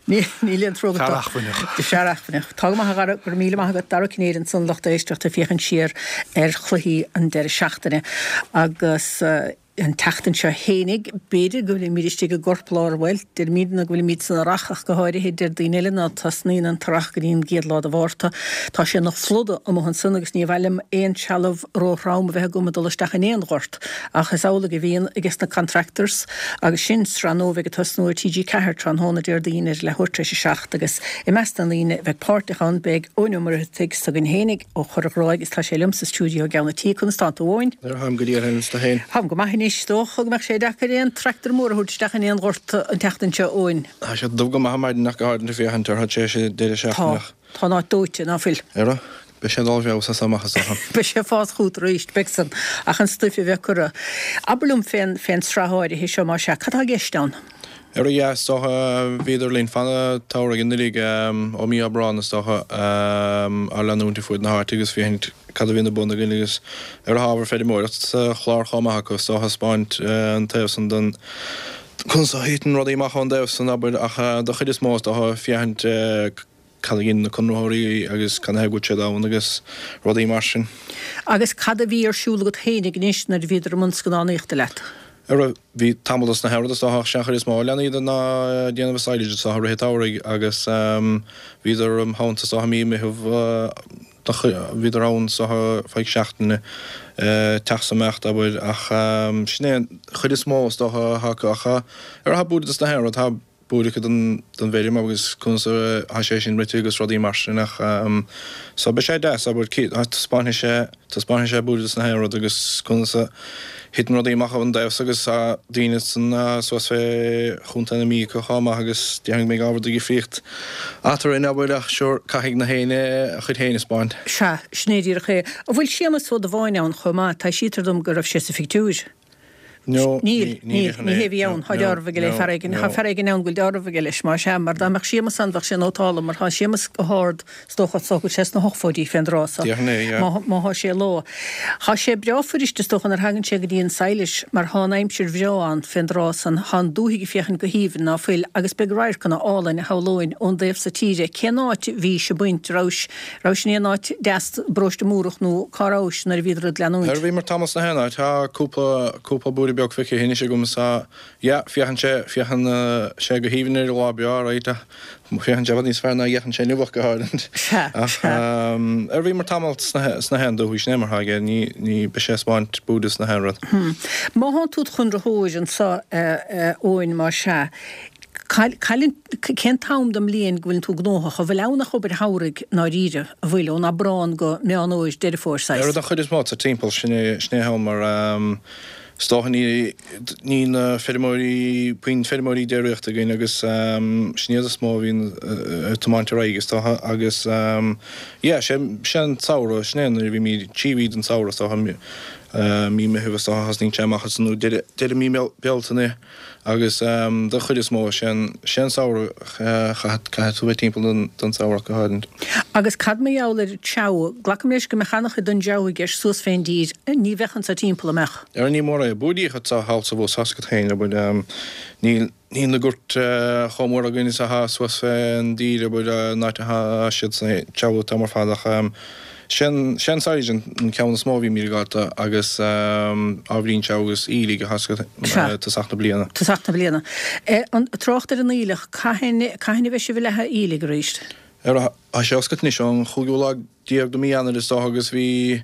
Níl aon trua agat dó. Fear acmhainneach. Fear acmhainneach. Tá go maith a Dhara, go raibh míle maith agat. Dara Ó Cinnéide ansan lucht éisteachta ag féachaint siar ar chluichí an deireadh seachtaine agus an tseachtain seo fhéinig b'fhéidir go bhfuilimid istigh i gcorplár, bhuel, deirimidne go bhfuilimid san earrach ach go háirithe, deir daoine eile ná tosnaíonn an t-earrach go dtí an gcéad lá de Mhárta. Tá sé ina phluda amuigh ansan agus ní mhaith liom aon trealamh róthrom a bheith agam ag dul isteach in aon ghort. Ach is amhlaidh a bhíonn ages na contractors agus sin sraith nua a bheidh ag tosnú ar TG4 tráthnóna Déardaoin ar leathuair tar éis a 7 agus i measc na ndaoine a bheidh páirteach ann beidh Eoin Ó Muircheartaigh s'againn fhéinig ó Chorr an Ghráig agus tá sé liom sa stiúideo i gceann an tí. Conas tánn tú a Eoin? Táim go diail féin is tú féin. Táim go maith anois. Is dócha go mbeadh sé deacair aon tractor mór a thabhairt isteach in aon ghort an tseachtain seo, Eoin. Tá sé dubh go maith ar maidin ach go háirithe féachaint orthu tar éis an deireadh seachtaine. Tá. Tá an áit dóite, ná fuil? Ara. Beidh sé ag dul i bhfeabhas as seo amach is dócha. Beidh sé ag fás chugat arís, beidh san, ach an stuif a bheith curtha. Abair liom fén, fén sraith áirithe seo, más ea, cad tá i gceist ann? Ar a yeah, is dócha, bhíodar linn fan an tsamhraidh anuiridh, ó mí Aibreán is dócha, á leanúint ar fuaid na háite agus féachaint cad a bhíonn ar bun againn agus ar an ábhar feirmeoireacht sa chlár chomh maith acu, is dócha, 'spáint an taobh san den, conas a thiteann rudaí amach ón dtaobh san, abair, ach do chuid is mó is dócha féachaint cad a dhein na conraitheoirí agus cad ina thaobh go bhfuil siad ann agus rudaí mar sin. Agus cad a bhí ar siúl agat fhéinig anois nuair a bhíodar i mbun scannánaíochta leat? Ara, bhí tamall dos na haon rud is dócha ach sé an chuid is mó a lean iad ná déanamh an silage is dócha i rith an tsamhraidh agus bhíodar im theannta is dócha mí Meitheamh bhíodar ann is dócha feadh seachtaine teacht 's imeacht abair ach sin é an chuid is mó is dócha atá acu ach ara tá buaire dos na haon rud tá buaire acu don bhfeirm agus conas atá sé sin rite agus rudaí mar sin ach so beidh sé deas abair taispeánfaidh sé taispeánfaidh sé buaire dos na haon rud agus conas a thiteann rudaí amach ón dtaobh so agus tá daoine san suas fé Chontae na Mí acu chomh maith agus déarfainn go mbeidh ábhar de dhifríocht eatarthu abair ach sure caithfidh na héinne a chuid féin a 'spáint. Sea, sin é díreach é. An bhfuil Séamus Ó Dubháin ann chomh maith? Taibhsítear dom go raibh sé sa phictiúr. No, Níl, níl, ní hé a bhí ann. Tá dealramh aige le fear éigin, tá fear éigin ann go bhfuil dealramh aige leis, más ea, mar dá mbeadh Séamus ann bheadh sé nótálta, mar tá Séamus go hard, is dócha, is dócha go bhfuil sé sna hochtóidí fén dtráth so, Déarfainn é, yeah. má, má thá sé leo. Thá sé breá fuirist, is dócha, nuair thagann sé go dtí an silage, mar thá an aimsir bhreá ann fén dtráth san, thá an dúthaigh ag féachaint go haoibhinn, ná fuil, agus beidh radharcanna álainn, a shamhlóinn, ón dtaobh so tíre. Cén áit bhís ag baint, rabhais, Rabhais in aon áit deas, Paróiste Múrach nó cá rabhais nuair a bhíodar ag leanúint? Ar bhíomar tamall sna haon áit, tá cúpla, cúpla buaire beag feicthe anois agam is tá, yeah, féachann sé, féachann sé go haoibhinn ar lá breá, right, ach féachann sé i bhfad níos fearr ná a fhéachann sé inniu ach go háirid. Sea, Ach sea. ar bhíomar tamall sna, sna haon dúthaigh, sin é mar atá aige, ní, ní, beidh sé ag 'spáint buaire sna haon rud. Má thánn tú id chonraitheoir anso, a Eoin, más ea, Cén t-am den mbliain go bhfuileann tú gnóthach? An bhfuil ann ach obair shamhraidh i ndáiríre, an bhfuil, ón Aibreán go Meán Fhómhair, Deireadh Fómhair, saghas? Ar an chuid is mó tá timpeall, sin é, sin é an t-am mar is dócha ní, ní na feirmeoirí, puinn feirmeoirí déiríochta againn agus sin iad is mó a bhíonn ag tiomáint ar aghaidh is dócha agus yeah, sé, sé an samhradh, sin é nuair a bhímid trí mhí den samhradh is dócha, mí Meitheamh is dócha thosnaíonn sé amach is nó deireadh, deireadh mí Bealtaine. Agus don chuid is mó, sé an samhradh, caithfidh tú bheith timpeall don samhradh go háirid. Agus cad mar gheall ar an treabhadh? Glacaim leis go mbeadh an-chuid den dtreabhadh i gceist suas fén dtír. Ní bheadh anso timpeall, an mbeadh? Ara ní mór é. Buaidíoch atá thall sa bhus, tá's agat féin, abair. Níl níl na goirt chomh mór againn is atá suas fén dtír, abair, an áit atá siad san treabhadh an t-am ar fad ach Sé an silage an ceann is mó a bhímid ag fáilt agus ábhairín treabhadh agus aoiligh tá's agat tosach na bliana. Tosach na bliana. An trácht ar an aoileach, cathain cathain a bheidh sibh ag leathadh aoiligh arís? Ara, tá sé oscailte anois ón chúigiú lá déag de mí Eanáir is dócha agus bhí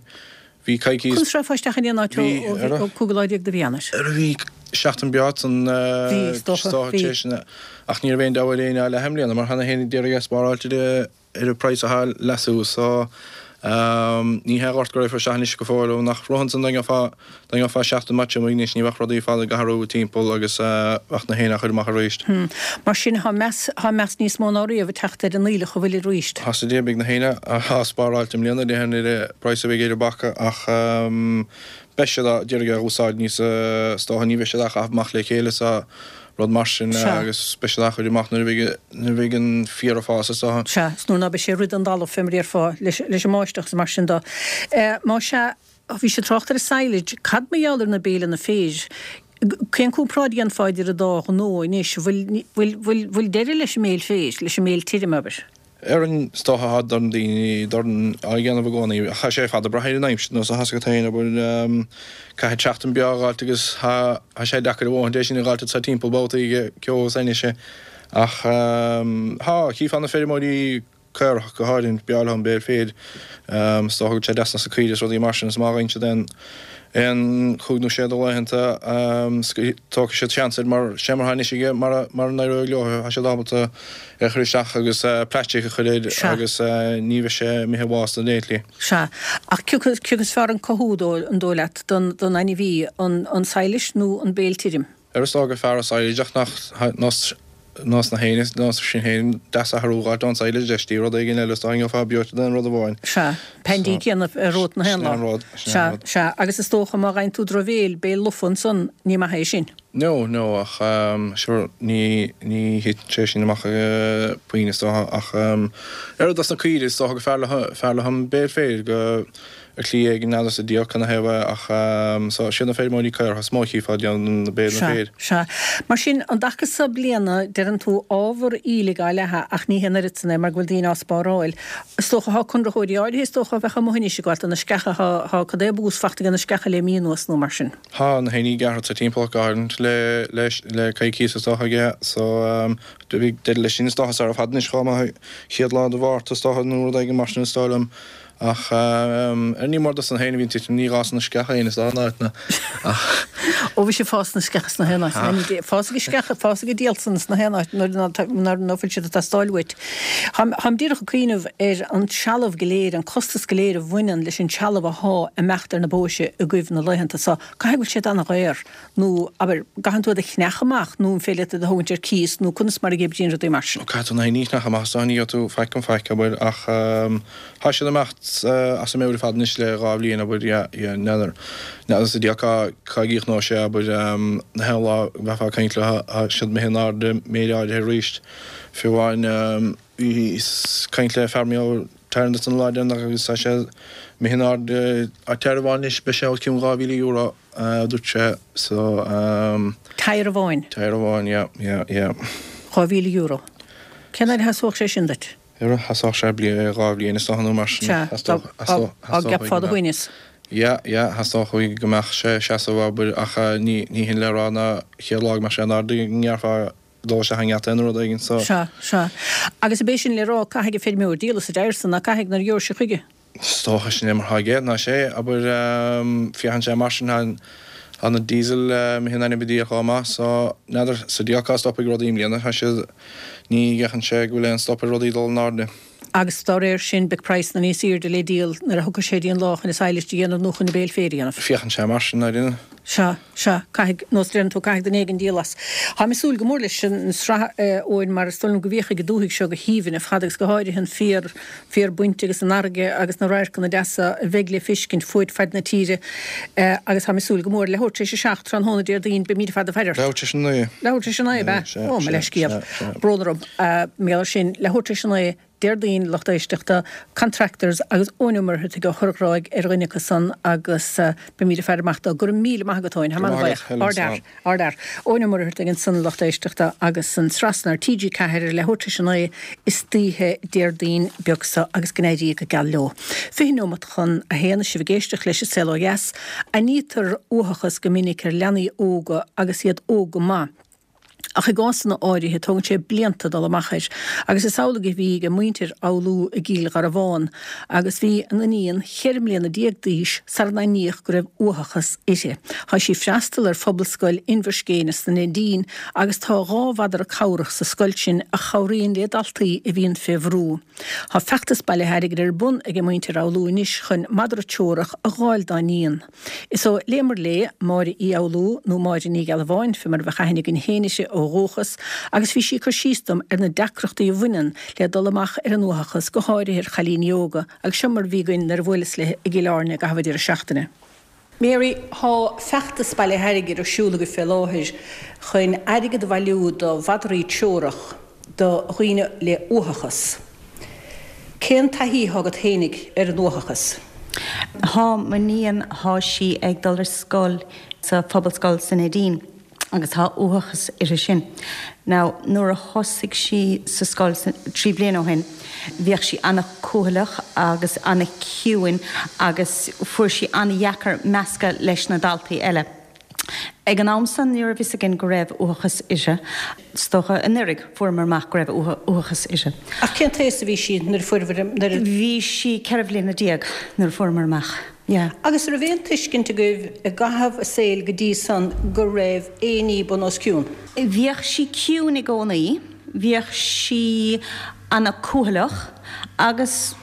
bhí coicís. Conas a rachfá isteach in aon áit ó cúigiú lá déag de mhí Eanáir? Ara bhí seachtain breá san Bhí, is dócha, bhí. Ach ní raibh aon deabhadh ar éinne á leathadh i mbliana mar tá na héinne d'iarraidh é spáráilt ar ar an praghas atá leasú so ní hé ghort go raghfar isteach anois go fóill ó nach raibh ansan dá ngeofá dá ngeofá seachtain maith tirim anois ní bheadh rudaí fada ag athrú timpeall agus bheadh na héinne á chur amach arís. Mar sin tá meas tá meas níos mó ná riamh ag teacht ar an aoileach an bhfuil arís. Tá sa dé beidh na héinne á spáráilt i mbliana déarfainn ar an praghas a bheidh ar an bpaca ach beidh siad á d'iarraidh é a úsáid níos is dócha ní bheidh siad á chaitheamh amach le chéile so rud mar sin agus beidh siad á chur amach nuair a bheidh nuair a bheidh an féar ag fás is dócha. Sea, is nuair ná beidh sé ag rith den dtalamh fé mar a déarfá, leis leis an mbáisteach is mar sin do. Má sea, bhís ag trácht ar an silage, cad mar gheall ar na béileanna féir? Cén comparáid a dhéanfá idir an dá ghnó anois? Bhfuil, bhfuil, bhfuil, bhfuil deireadh leis an mbéil féir, leis an mbéil tirim, abair? Ar an is dócha tá dorn daoine dorn á dhéanamh i gcónaí. Ach tá sé ar fad ag brath ar an aimsir nó tá's agat féin, abair, caithfidh seachtain breá a dh'fháilt agus tá sé deacair a dhóthaint é sin a dh'fháilt anso timpeall babhtaí ag ceo is ainnis. Ach tá, chífeá na feirmeoirí caorach go háirithe, b'fhearr leo an béal féir. Is dócha go bhfuil sé deas sna caoirigh is rudaí mar sin is má gheibheann siad aon aon chúig nó sé de laethanta tógfaidh siad seans air mar sé mar atá anois aige mara n-éireoidh leo tá siad ábalta é a chur isteach agus plaisteach a chur air agus ní bheidh sé imithe i bhás don léithlí. Sea. Ach cé acu is fearr an cothú, an dóigh leat, don ainmhí, an silage nó an béil tirim? Ar is dóigh gur fearr an silage ach nach. Nós na héinne, nós sin féin, deas athrú a dh'fháilt ón silage deis rud éigin eile is dá ngeofá beoite d'aon rud amháin. Sea. Pandy céanna romhat na haon lá. Sin é an rud, sin é an rud. Sea, sea. Agus is dócha má gheibheann tú drochbhéil, béil lofa ansan, ní maith é sin. No, no, ach sure, ní, ní thiteann sé sin amach puinn is dócha ach oiread dos na caoirigh is dócha gur fearr leo, fearr leo an béil féir go, ar shlí éigin n'fheadar sa diabhal canathaobh é ach so siad na feirmeoirí caorach is mó a chífeá ag déanamh na béil na Sea, féir. sea. Mar sin, an dtaca so bliana, deireann tú, ábhar aoiligh á leathadh ach ní hé an oiread san é mar go bhfuil daoine á spáráil. Is dócha, thá conraitheoirí áirithe is dócha a bheadh amuigh anois ag gabháil do na sceacha, thá, thá cad é bús fachta aige na sceacha le mí anuas nó mar sin. Thá na héinní gearrtha sa timpeallacht go háirithe le, le, le coicíos is dócha aige so do bhí deireadh leis sin is dócha sara fad anois chomh maith chéad lá de Mhárta is dócha nó rud éigin mar sin is dóigh liom. Ach ar ní mór dos na héin a bhíonn titim, ní dhá sna sceacha féin is dá n-áit na ach. Ó bhí sé fás na sceacha sna haon áit. Fás ag sceacha, fás ag díolsan sna haon áit nuair ná fuil siad ag teastáil uait. Táim díreach ag cuimhneamh ar an trealamh go léir, an costas go léir a bhaineann leis an trealamh athá ag imeacht ar na bóithre agaibh na laethanta so. Caithfidh go bhfuil siad ana-dhaor. Nó, abair, gcaitheann tú iad a cheannach amach nó an féidir leat iad a thógaint ar cíos nó conas mar a oibríonn rudaí mar sin? Caithfidh tú na héinní a cheannach amach is dóigh, ní gheobhaidh tú faic gan faic, abair, ach tá siad ag imeacht as a meabhair ar fad anois le dha bhliain, abair, yeah, yeah, n'fheadar, n'fheadar sa diabhal cá, cá gcríochnóidh sé, abair, na haon lá go mbeifeá ag caint leo, tá siad imithe in airde méid áirithe arís, fiú amháin, bhíos ag caint le fear maith Tarrant an lá deireanach agus tá sé imithe in airde, tyre amháin anois, beidh sé os cionn €2,000. a dúirt sé, so. Tyre amháin? Tyre amháin, yeah, yeah, yeah. €2,000. Cén fhaid a sheasódh sé sin duit? Ar sheasódh sé bliain, dhá bhliain is dócha nó mar sin. Sea, dá gceapfá do shuaimhneas. Yeah, yeah, theastódh uaidh go mbeadh sé ag seasamh, abair, ach ní, ní hin le rá ná chéad lá go mbeadh sé in airde go ngearrfá dul isteach i ngeata nó rud éigin, so. Sea, sea. Agus ab é sin le rá, caithfidh an feirmeoir díol as an dtyre san, ná caithfidh, nuair a gheobhaidh sé chuige? Is dócha sin é mar atá aige, ná sé, abair, féachann sé mar sin, tá na diesel imithe in ainm a Dhia chomh maith so n'fheadar sa diabhal cá stopfaidh rudaí i mbliana, tá siad, ní fhéachann sé go bhfuil aon stop ar rudaí dul in airde. Agus dá réir sin beidh praghsanna níos airde le díol nuair a thiocfaidh sé dtí an lá chun an sadhlas a dhéanamh nó chun an béil féir a dhéanamh. Féachann sé mar sin, ar. Sea, sea, caithfidh, nós deireann tú, caithfidh duine éigin díol as. Táim ag súil go mór leis an sraith, a Eoin, mar is dóigh liom go bhféachfaidh an dúthaigh seo go haoibhinn ar fad agus go háirithe an féar, féar bainte agus an fharraige agus na radharcanna deasa a bheidh le feiscint fuaid faid na tíre agus táim ag súil go mór. Leathuair tar éis a 7 tráthnóna Déardaoin, beimid ar fad ag faire ort. Leathuair tar éis a 9. Leathuair tar éis a 9, ab ea? Ó, mo leithscéal. Brón orm. Mar gheall air sin, leathuair tar éis a 9. Déardaoin, lucht éisteachta, Contractors agus Eoin Ó Muircheartaigh ó Chorr an Ghráig ar dhuine acu san agus beimid ag faire amach dó. Go raibh míle maith agat Eoin, táim an-bhuíoch. Ardfhear, ardfhear. Eoin Ó Muircheartaigh ansan, lucht éisteachta, agus an tsraith san ar TG4 ar leathuair tar éis a 9 istoíche Déardaoin beag seo agus go n-éirí go geal leo. 20 neomat chun a haon, is sibh ag éisteacht leis an Saol Ó Dheas. Aithnítear uathachas go minic ar leanaí óga agus iad óg go maith. Ach i gcásanna áirithe, tógann sé blianta dul amach air. Agus is amhlaidh a bhí ag muintir Fhoghlú i gCill Gharbhán, agus bhí a n-iníon cheithre mbliana déag d'aois sara n-aithníodh go raibh uathachas uirthi. Tá sí ag freastal ar Phobalscoil Inbhir Scéine sna Neidín agus tá dhá mhadra cabhrach sa scoil sin a chabhraíonn le daltaí a bhíonn fé bhrú. Tá feachtas bailithe airgid ar bun ag muintir Fhoghlú anois chun madra treorach a dh'fháil dá n-iníon. Is ó Léimear Léith, Máire Uí Fhoghlú, nó Máire Ní Ghealbháin, fé mar a bheadh aithne againn féin uirthi ó dhúchas, agus bhí sí ag cur síos dom ar na deacrachtaí a bhaineann le dul amach ar an uathachas, go háirithe ar chailíní óga, agus seo mar a bhí againn nuair a bhuaileas léi i gCill Airne i gcaitheamh an deireadh seachtaine. Mary, Tá feachtas bailithe airgid ar siúl agaibh fé láthair chun airgead a bhailiú do mhadraí treorach do dhaoine le uathachas. Cén taithí atá agat fhéinig ar an uathachas? Thá m'iníon, thá sí ag dul ar scoil sa Phobalscoil sa Neidín agus thá uathachas uirthi sin. Now nuair a thosaigh sí sa scoil trí bliana ó shin bhíodh sí ana-cúthaileach agus ana-chiúin agus fuair sí ana-dheacair meascadh leis na daltaí eile. Ag an am san ní raibh fhios againn go raibh uathachas uirthi. Is dócha anuraidh fuaireamar amach go raibh uathachas uirthi. Ach cén t-aos a bhí sí nuair a fuaireabhair, nuair a. Bhí sí 14 bhliana nuair a fuaireamar amach, yeah. Agus an raibh aon tuiscint agaibh i gcaitheamh a saoil go dtí san go raibh aon ní bun os cionn? Bhíodh sí ciúin i gcónaí, bhíodh sí ana cúthaileach agus.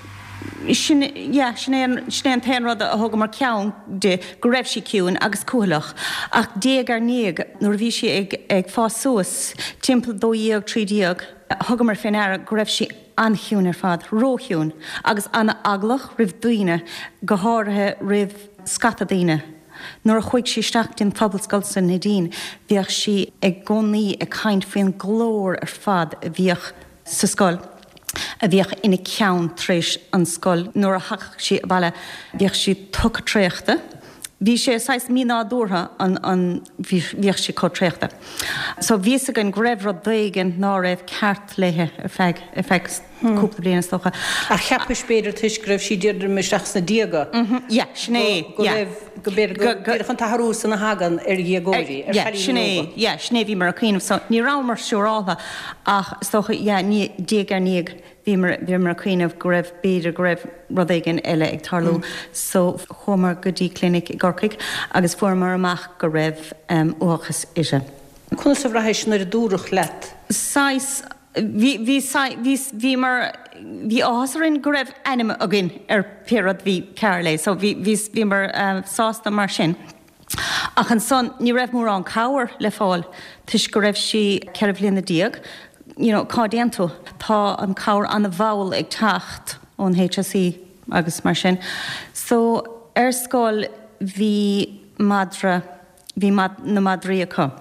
Sin, yeah, sin é an, sin é an t-aon rud a thugamar ceann di, go raibh sí ciúin agus cúthaileach. Ach diaidh ar ndiaidh, nuair a bhí sí ag, ag fás suas, timpeall 12, 13, thugamar fé ndeara go raibh sí an-chiúin ar fad, róchiúin, agus an-eaglach roimh daoine, go háirithe roimh scata daoine. Nuair a chuaigh sí isteach dtí an phobalscoil sa Neidín, bhíodh sí i gcónaí ag caint faoin nglór ar fad a bhíodh sa scoil, a bhíodh ina ceann tar éis an scoil. Nuair a thagadh sí abhaile bhíodh sí tugtha traochta. Bhí sé saghas mínádúrtha an an bhíodh sí chomh traochta. So bhí fhios againn go raibh rud éigin ná raibh ceart léithe ar feadh ar feadh cúpla bliain is dócha. Ach cheapais b'fhéidir toisc go raibh sí ag druidim isteach sna déaga Yeah, sin é, go yeah. raibh go b'fhéidir go díreach an t-athrú san a thagann ar dhéagóirí, ar Yeah, sin chailíní é, óga. yeah, sin é a bhíomar ag cuimhneamh. So ní rabhamar siúráltha ach is dócha, yeah, ní, diaidh ar ndiaidh bhíomar, bhíomar ag cuimhneamh go raibh, b'fhéidir go raibh rud éigin eile ag tarlú. So chuamar go dtí clinic i gCorcaigh agus fuaireamar amach go raibh um, uathachas uirthi. Conas a bhraithis nuair a dúradh leat? Saghas, Bhí, bhí, bhí, bhíomar, bhí áthas orainn go raibh ainm againn ar pé rud bhí cearr léi so bhí, bhí, bhíomar sásta mar sin. Ach ansan ní raibh mórán cabhair le fáil toisc go raibh sí 14 bhliana, you know, cá dtéann tú? Tá an cabhair an-mhall ag teacht ón HSE agus mar sin. So ar scoil bhí madra, bhí na madraí acu.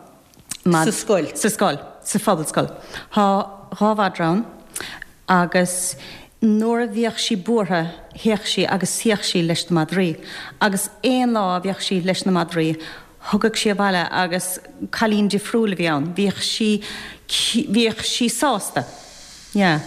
Sa scoil? Sa scoil, sa phobalscoil. Tá dha mhadra ann agus nuair a bhíodh sí buartha théadh sí agus shuíodh sí leis na madraí. Agus aon lá a bhíodh sí leis na madraí thugadh sí abhaile agus cailín difriúil a bhí ann. Bhíodh sí, bhíodh sí sásta. Yeah.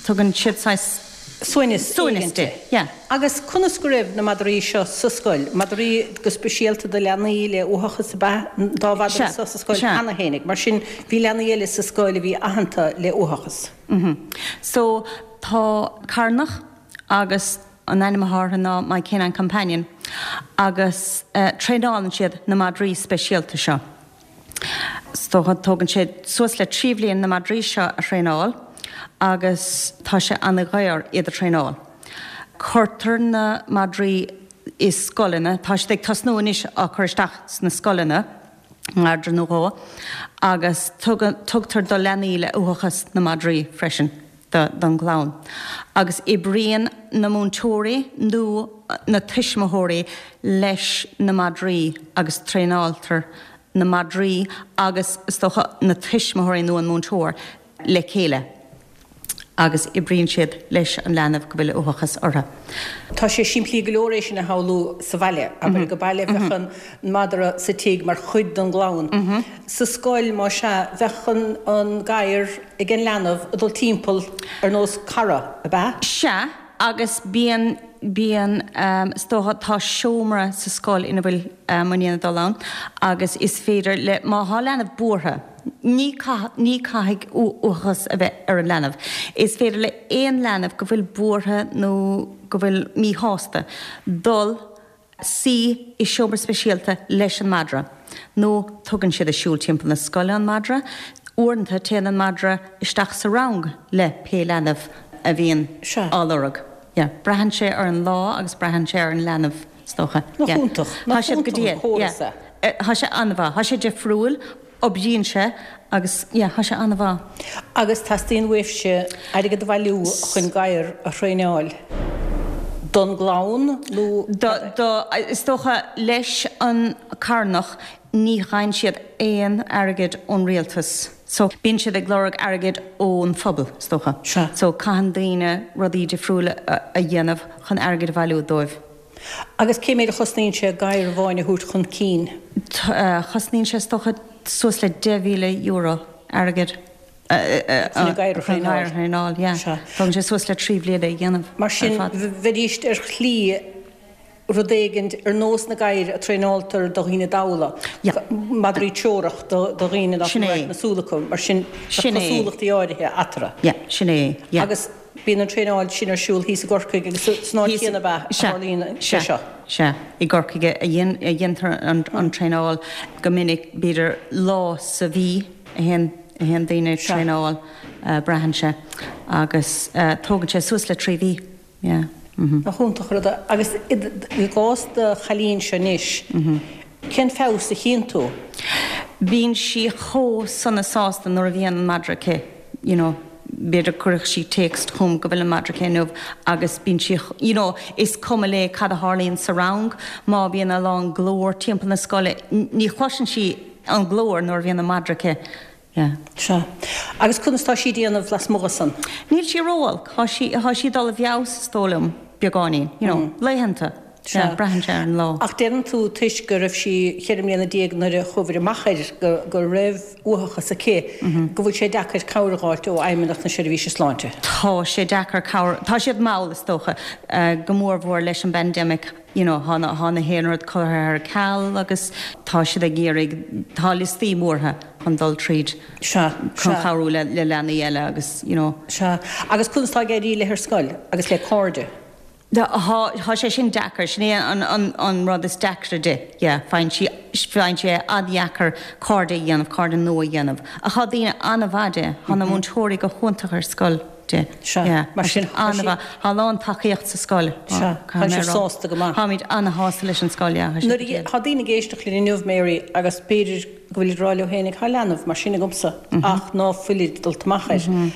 Tugann siad saghas. Suaimhneas Suaimhneas di. Yeah. Agus conas go raibh na madraí seo sa scoil? Madraí go speisialta do leanaí le uathachas ab ea an dá mhadra Sea. seo sa scoil Sea. cheana fhéinig. Mar sin, bhí leanaí eile sa scoil a bhí aitheanta le uathachas. Mhm. So, tá carnach agus an ainm atá orthu ná My Canine Companion agus eh, traenálann siad na madraí speisialta seo. Is dócha, tógann sé suas le 3 bhliain na madraí seo a thraenáil agus tá sé an-dhaor iad a thraenáil. Cuirtear na madraí i scoileanna, tá siad ag tosnú anois á cur isteach sna scoileanna, madra nó dhó, agus tugtar do leanaí le uathachas na madraí freisin. don gclann agus oibríonn na múinteoirí nó na tuismitheoirí leis na madraí agus traenáiltear na madraí agus is dócha na tuismitheoirí nó an múinteoir le chéile agus oibríonn siad leis an leanbh go bhfuil uathachas orthu. Tá sé simplí go leor é sin a shamhlú sa bhaile, abair go baile bheadh an madra sa tigh mar chuid den gclann. Sa scoil, más ea, bheadh an gadhar ag an leanbh ag dul timpeall ar nós cara, ab ea? Sea, agus bíonn, bíonn, is dócha, tá seomra sa scoil ina bhfuil m'iníon ag dul ann agus is féidir le, má thá leanbh buartha, ní, ní caithfidh uathachas a bheith ar an leanbh, is féidir le aon leanbh go bhfuil buartha nó go bhfuil míshásta dul suí i seomra speisialta leis an madra, nó tugann siad ag siúl timpeall na scoile an madra. Uaireanta téann an madra isteach sa rang le pé leanbh a bhíonn á lorg. Yeah. Braitheann sé ar an lá agus braitheann sé ar an leanbh, is dócha. Nach Yeah. iontach. Tá Nach siad go iontach dtí an córas yeah. é. Tá sé an-mhaith. Tá sé difriúil, oibríonn sé agus yeah, tá sé an-mhaith. Agus teastaíonn uaibhse airgead a bhailiú chun gadhar a thraenáil don gclann nó Do, do, is dócha leis an carnach ní fhaigheann siad aon airgead ón rialtas so bíonn siad ag lorg airgead ón phobal is dócha. Sea. So caitheann daoine rudaí difriúla a dhéanamh chun airgead a bhailiú dóibh. Agus cé méid a chosnaíonn sé gadhar amháin a thabhairt chun cinn? Chosnaíonn sé is dócha suas le €10,000 airgead chun an gadhar a thraenáil. Yeah. Tógann sé suas le 3 bhliain é a dhéanamh Mar sin, bheidís ar shlí rud éigin ar nós na gadhair a traenáiltear do dhaoine dalla, madraí treorach do dhaoine nach bhfuil radharc na súl acu, mar sin bheadh cosúlachtaí áirithe eatarthu. Yeah, sin é. Yeah. Agus Bíonn an traenáil sin ar siúl thíos i gCorcaigh agus san áit chéanna ab ea a tharlaíonn sé seo? Sea, i gCorcaigh a dhéantar an traenáil go minic, b'fhéidir lá sa mhí a théann daoine ag traenáil, braitheann sé, agus tógann sé suas le 3 mhí, yeah. Nach iontach an rud é. Agus i gcás do chailín-se anois, cén feabhas a chíonn tú? Bíonn sí chomh sona sásta nuair a bhíonn an madra aici, you know, b'fhéidir cuirfidh sí téacs chugam go bhfuil an madra aici inniu agus bíonn sí, you know, is cuma léi cad a tharlaíonn sa rang, má bhíonn a lán glór timpeall na scoile, ní chloiseann sí an glór nuair a bhíonn an madra aici. Yeah. Sea. Agus conas tá sí ag déanamh lasmuigh de san? Níl sí ró-olc. Thá sí, thá sí ag dul i bhfeabhas is dóigh liom, beagáinín. You know, laethanta. Sea. Yeah, braitheann sé ar an lá. Ach deireann tú toisc go raibh sí cheithre mbliana déag nuair a chuabhair amach air go, go raibh uathachas aici, go bhfuil sé deacair cabhair a dh'fháilt ó Fheidhmeannacht na Seirbhíse Sláinte. Tá sé deacair cabhair, tá siad mall is dócha, go mór mhór leis an bpandemic. you know thá na, thá na haon rud curtha ar ceal agus tá siad ag iarraidh, tá liostaí móra chun dul tríd Sea, chun sea. cabhrú le, le leanaí eile agus you know. Sea. Agus conas tá ag éirí léi ar scoil agus le cairde? Tá, thá sé sin deacair, sin é an, an, an rud is deacra di, yeah, faigheann sí, faigheann sí é an-dheacair cairde a dhéanamh, cairde nua a dhéanamh. Ach thá daoine an-mhaith di, thá na múinteoirí go hiontach ar scoil. di. Sea, mar sin, tá sí. Tá a lán tacaíocht sa scoil. Sea, tá sibh sásta go maith. Táimid ana-shásta leis an scoil, yeah. Nuair a, tá daoine ag éisteacht linn inniu, Mary, agus b'fhéidir go bhfuilid ag rá leo féinig, tá leanbh mar sin agamsa ach ná fuilid dulta amach air.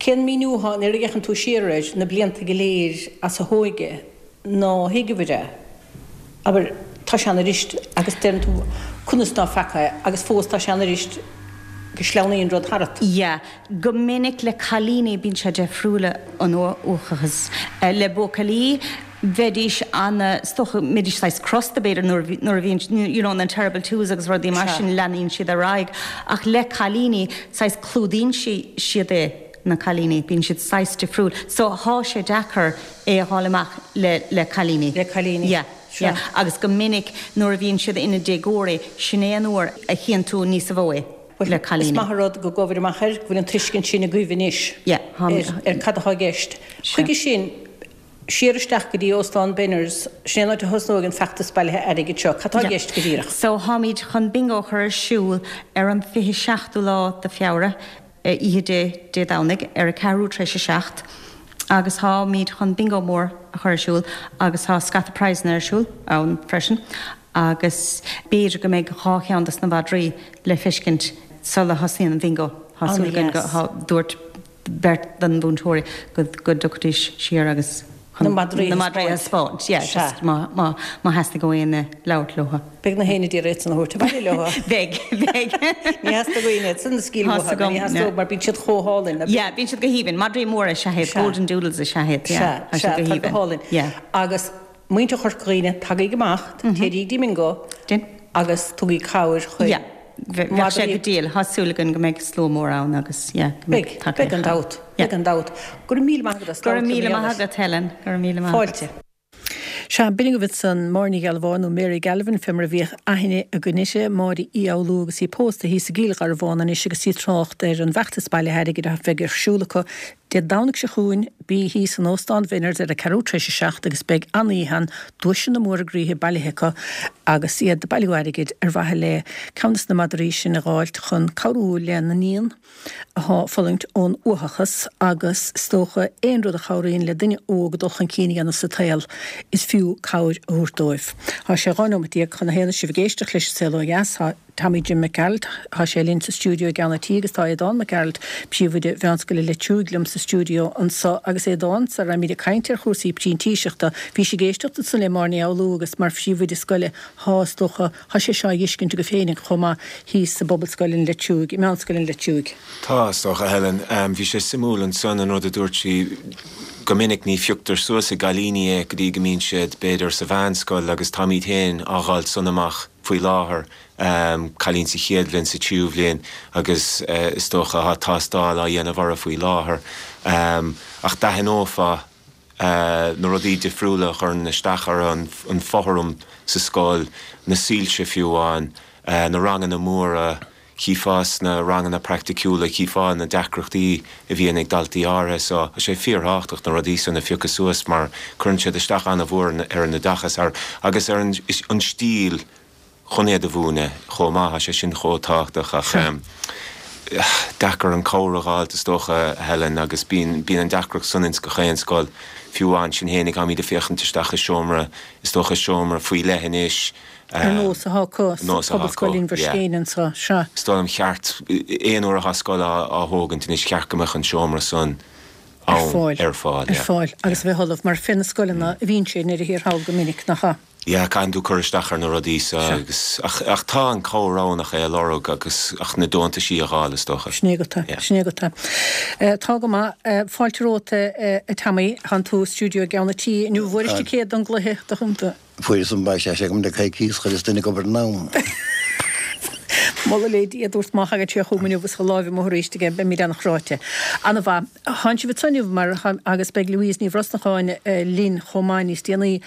Cén míniú atá, nuair a fhéachann tú siar air, na blianta go léir as a hóige, ná thuigeabhair é? Abair, tá sé ann arís agus deireann tú conas ná feaca é agus fós tá sé ann arís go sleamhnaíonn rud tharat. Yeah. Go minic le cailíní bíonn sé deifriúil an uathachas. Le buachaillí bheidís ana, is dócha, mbeidís saghas crosta b'fhéidir nuair a nuair a bhíonn you know na terrible twos agus rudaí mar sin leanaíonn siad ar aghaidh ach le cailíní saghas clúdaíonn siad é na cailíní bíonn siad saghas difriúil so thá sé deacair é a dh'fháil amach le le cailíní. Le cailíní. Yeah, yeah. Agus go minic nuair a bhíonn siad ina déagóirí, sin é an uair a chíonn tú níosa mhó é le cailíní. Is maith an rud go gcuabhair amach air, go bhfuil an tuiscint sin agaibh anois Yeah, ar ar cad atá i gceist. Chuige sin, siar isteach go dtí Óstán Benners, sin é an áit a thosnóidh an feachtas bailithe airgid seo. Cad tá i gceist go díreach? So, táimid chun bingo a chur ar siúl ar an 27ú lá de Feabhra. oíche Dé Dé Domhnaigh ar a ceathrú tar éis a 7 agus táimid chun bingo mór a chur ar siúl agus tá scata prizanna ar siúl ann freisin agus b'fhéidir go mbeidh 2 cheann dos na mhadraí le feiscint sula thosaíonn an bhingo. Tá súil againn go, dúirt beirt den mhúinteoirí go dtiocfaidís siar agus. Na madraí a thaispeáint. Yeah, just má theastaigh ó éinne labhairt leo. Beidh na héinne d'iarraidh iad san a thabhairt abhaile leo. Beidh, beidh. Ní theastóidh éinne iad san a scaoileadh uathu, ní theastóidh mar bíonn siad chomh hálainn. Yeah, bíonn siad go haoibhinn. Madraí móra is ea iad, golden doodles is ea iad. Sea, sea, tá go hálainn. Yeah. Agus muintir Chorca Dhuibhne, tagaigí amach, téigí go dtí an mbingo agus tugaigí cabhair chuig. Yeah. Bheadh sé go diail. Tá súil againn go mbeidh slua mór ann agus yeah, go mbeidh tacaíocht. Beidh, beidh gan dabht, beidh gan dabht. Go raibh míle maith agat as Go raibh míle maith agat, Helen. Go raibh míle maith agat. Fáilte. Sea, b'in agaibh ansan Máire Ní Ghealbháin, nó Mary Galvin fé mar a bhíodh aithne againn uirthi, Máire Uí Fhoghlú agus í pósta thíos i gCill Gharbháin anois agus í ag trácht ar an bhfeachtas bailithe airgid a bheidh ar siúl acu Dé Domhnaigh seo chugainn, bí thíos in Óstán Bhenners ar a ceathrú tar éis a 7 agus beidh an-oíche ann, duaiseanna móra groíthe bailithe acu agus iad ag bailiú airgid ar mhaithe le ceann de na madraí sin a dh'fháilt chun cabhrú lena n-iníon athá ag fulaingt ón uathachas agus is dócha aon rud a chabhraíonn le duine óg dul chun cinn a dhéanamh sa tsaol is fiú cabhair a thabhairt dóibh. Tá sé 12 nóimeat chun a haon is sibh ag éisteacht leis An Saol Ó Dheas. Tá. Tommy Jim Mac Gearailt, tá sé linn sa stiúideo i gceann an tí agus tá Aodán Mac Gearailt, príomhoide Mheánscoil an Leitriúigh liom sa stiúideo anso agus Aodán, sara raibhimid ag caint ar chúrsaí printíseachta, bhís ag éisteacht ansan le Máire Ní Fhoghlú agus mar phríomhoide scoile, thá, is dócha, thá sé seo á dh'fheiscint agaibh féinig chomh maith thíos i bPobalscoil an Leitriúigh, i Meánscoil an Leitriúigh. Tá, is dócha, Helen. Bhí sé suimiúil ansan an rud a dúirt sí, go minic ní phioctar suas i gcailíní é go dtí go mbíonn siad, b'fhéidir, sa mheánscoil agus táimid féin á dh'fháilt san amach. faoi láthair, cailín sa chéad bhliain, sa tríú bhliain agus is dócha tá tástáil á dhéanamh orthu faoi láthair. Ach d'aithneofá na rudaí difriúla a chuireann isteach orthu, an fothram sa scoil, na soilse fiú amháin, na ranganna móra, Chífeá sna ranganna praiticiúla, chífeá na deacrachtaí a bhíonn ag daltaí áirithe so tá sé fíorthábhachtach na rudaí san a phiocadh suas mar cuireann siad isteach an-mhór ar an oideachas agus ar an stíl chun iad a mhúineadh chomh maith, tá sé sin chomh tábhachtach ach. Deacair an cabhair a dh'fháilt is dócha, a Helen, agus bíonn, bíonn an deacracht san ins gach aon scoil. Fiú amháin sinn fhéinig táimíd ag féachaint isteach i seomra, is dócha seomra faoi leith anois. Ar nós atá acu sa Phobalscoil Inbhir Scéine anseo, sea. Is dóigh liom cheart, aon uair atá scoil á thógaint anois, cheart go mbeadh an seomra san ann, ar fáil, yeah. Ar fáil, agus a bheith ullamh, mar fé na scoileanna a bhíonn sé i ndeireadh thiar thall go minic, nach ea? Yeah, caitheann tú cur isteach ar na rudaí so agus, ach, ach tá an cabhair ann ach é a lorg agus, ach na deontaisí a dh'fháil is dócha. Sin é agat é, sin é agat é. Tá go maith. Fáilte romhat a Tommy, thánn tú i stiúideo i gCeann a' Tí inniu. Bhfuairis ticéad don gcluiche do chontae? Fuaireas an beidh sé agam le coicíos chuireas duine ag obair in am. Moladh le Dia, a dúirt má thagann sé chugam inniu is a láimh amuigh arís aige, beimid an-chráite. Ana-mhaith. Thánn sibh anso inniu mar, agus beidh Louise Ní Bhrosnacháin linn chomh maith níos déanaí,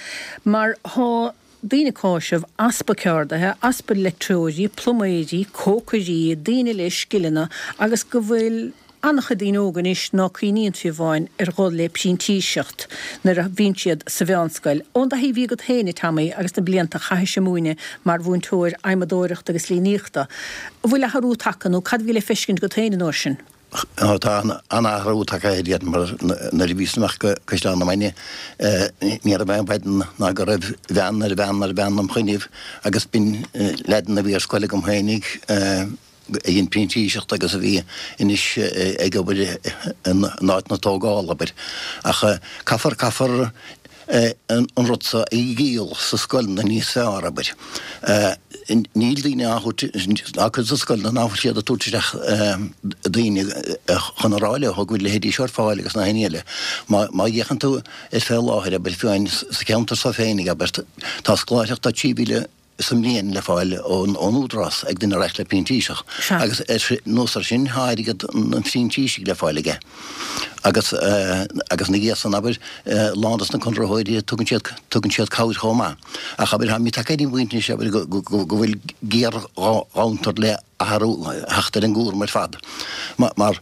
mar thá daoine ag cáiseamh easpa ceardaithe, easpa leictreoirí, pluiméirí, cócairí, daoine le scileanna agus go bhfuil an-chuid daoine óga anois ná cuimhníonn fiú amháin ar dhul le printíseacht nuair a bhíonn siad sa mheánscoil. Ón dtaithí a bhí agat féin, a Tommy, agus na blianta a chaithis ag múineadh mar mhúinteoir adhmadóireachta agus líníochta, an bhfuil athrú tagtha nó cad a bhí le feiscint agat féin an uair sin? Tá an-athrú tagtha air iad mar nuair a bhíos amach go Caisleán na Mainge ní raibh aon mhaidin ná go raibh veain ar veain ar veain im choinnibh agus b'in leaideanna a bhí ar scoil agam féinig a dhein printíseacht agus a bhí anois ag obair in áit na tógála, abair. Ach caithfear, caithfear an rud so a dhíol sa scoileanna níos fearr, abair. Níl daoine á thabhairt, ná cuid de scoileanna ná fuil siad ag tabhairt isteach daoine chun a rá leo go bhfuil leithéidí seo ar fáil agus na haon eile. Má fhéachann tú ar fé láthair, abair, fiú amháin sa cheantar so féinig, abair, tá scoláireacht 3,000 sa mbliain le fáil ón Údarás ag duine a raghadh le printíseach agus anuas ar sin tá airgead an phrintísigh le fáil aige agus agus ina dhiaidh san abair lán dos na conraitheoirí tugann siad tugann siad cabhair chomh maith ach abair táimid tagtha ar an bpointe anois abair go go go bhfuil géarghanntar le athrú theacht ar an gcúram ar fad mar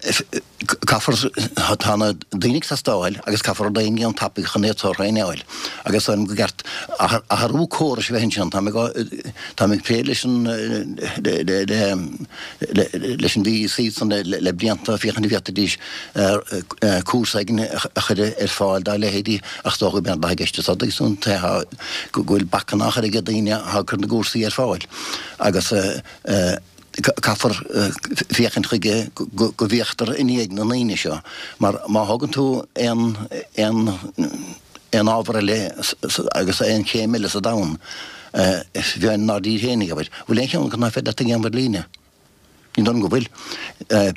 Caithfear, tá na daoine ag teastáil agus caithfear rud éigin a dhéanamh tapaidh chun iad seo a thraenáil agus dóigh liom go gceart athrú córais a bheith ansin. Táim ag, táim ag plé leis an, leis an VEC san le blianta féachaint an bhféadfaidís cúrsa éigin a chur ar fáil dá leithéidí ach is dócha go mb'éard atá i gceist anso agus an go bhfuil bacanna á chur ag daoine atá ag cur na gcúrsaí ar fáil agus Caithfear féachaint chuige go bhféachtar i ndiaidh na ndaoine seo mar má thógann tú aon aon aon ábhar eile agus aon chéim eile sa domhan, fiú inár dtír féinig, abair, bhfuil aon cheann acu nach féidir leat a dhéanamh ar líne? Ní dóigh liom go bhfuil.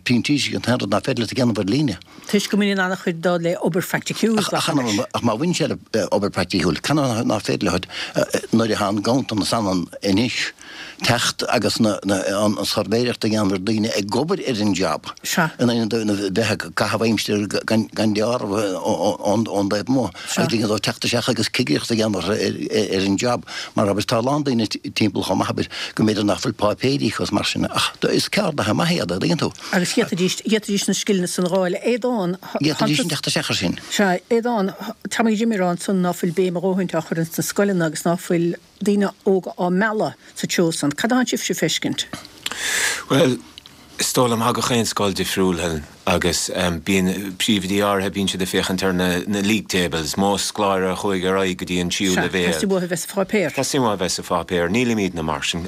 Printísigh an t-aon rud nach féidir leat a dhéanamh ar líne. Toisc go mbaineann an-chuid dó le obair phraiticiúil, glacaim leis. Ach má bhaineann sé le obair phraiticiúil, canathaobh nach féidir leat nuair atá an ganntanas ann anois teacht agus an suirbhéireacht a dhéanamh ar daoine ag obair ar an job in ionad bheith ag caitheamh aimsire gan deáramh ón dtaobh amuigh agus ligean dóibh teacht isteach agus cigireacht a dhéanamh ar an job mar abair tá a lán daoine timpeall chomh maith abair go mb'fhéidir nach bhfuil páipéirí acu is mar sin ach is ceardaithe maithe iad a dtuigeann tú. Agus d'fhéadfaidís, d'fhéadfaidís na scileanna san a dh'fháil. Aodán, D'fhéadfaidís teacht isteach ar sin. Sea, Aodán, Tommy Jimmy ag rá ansan ná fuil béim a dhóthaint á chur ins na scoileanna agus ná fuil daoine óga á mealladh sa treo san. Cad atánn sibhse a feiscint? Bhuel, is dóigh liom, tá gach aon scoil difriúil, Helen, agus bíonn príomhoidí áirithe, bíonn siad ag féachaint ar na league tables, mó scoláire a chuaigh ar aghaidh go dtí an tríú Sea, leibhéal. teastaíonn uathu a bheith sa pháipéar. Teastaíonn uathu a bheith sa pháipéar. Nílimídne mar sin,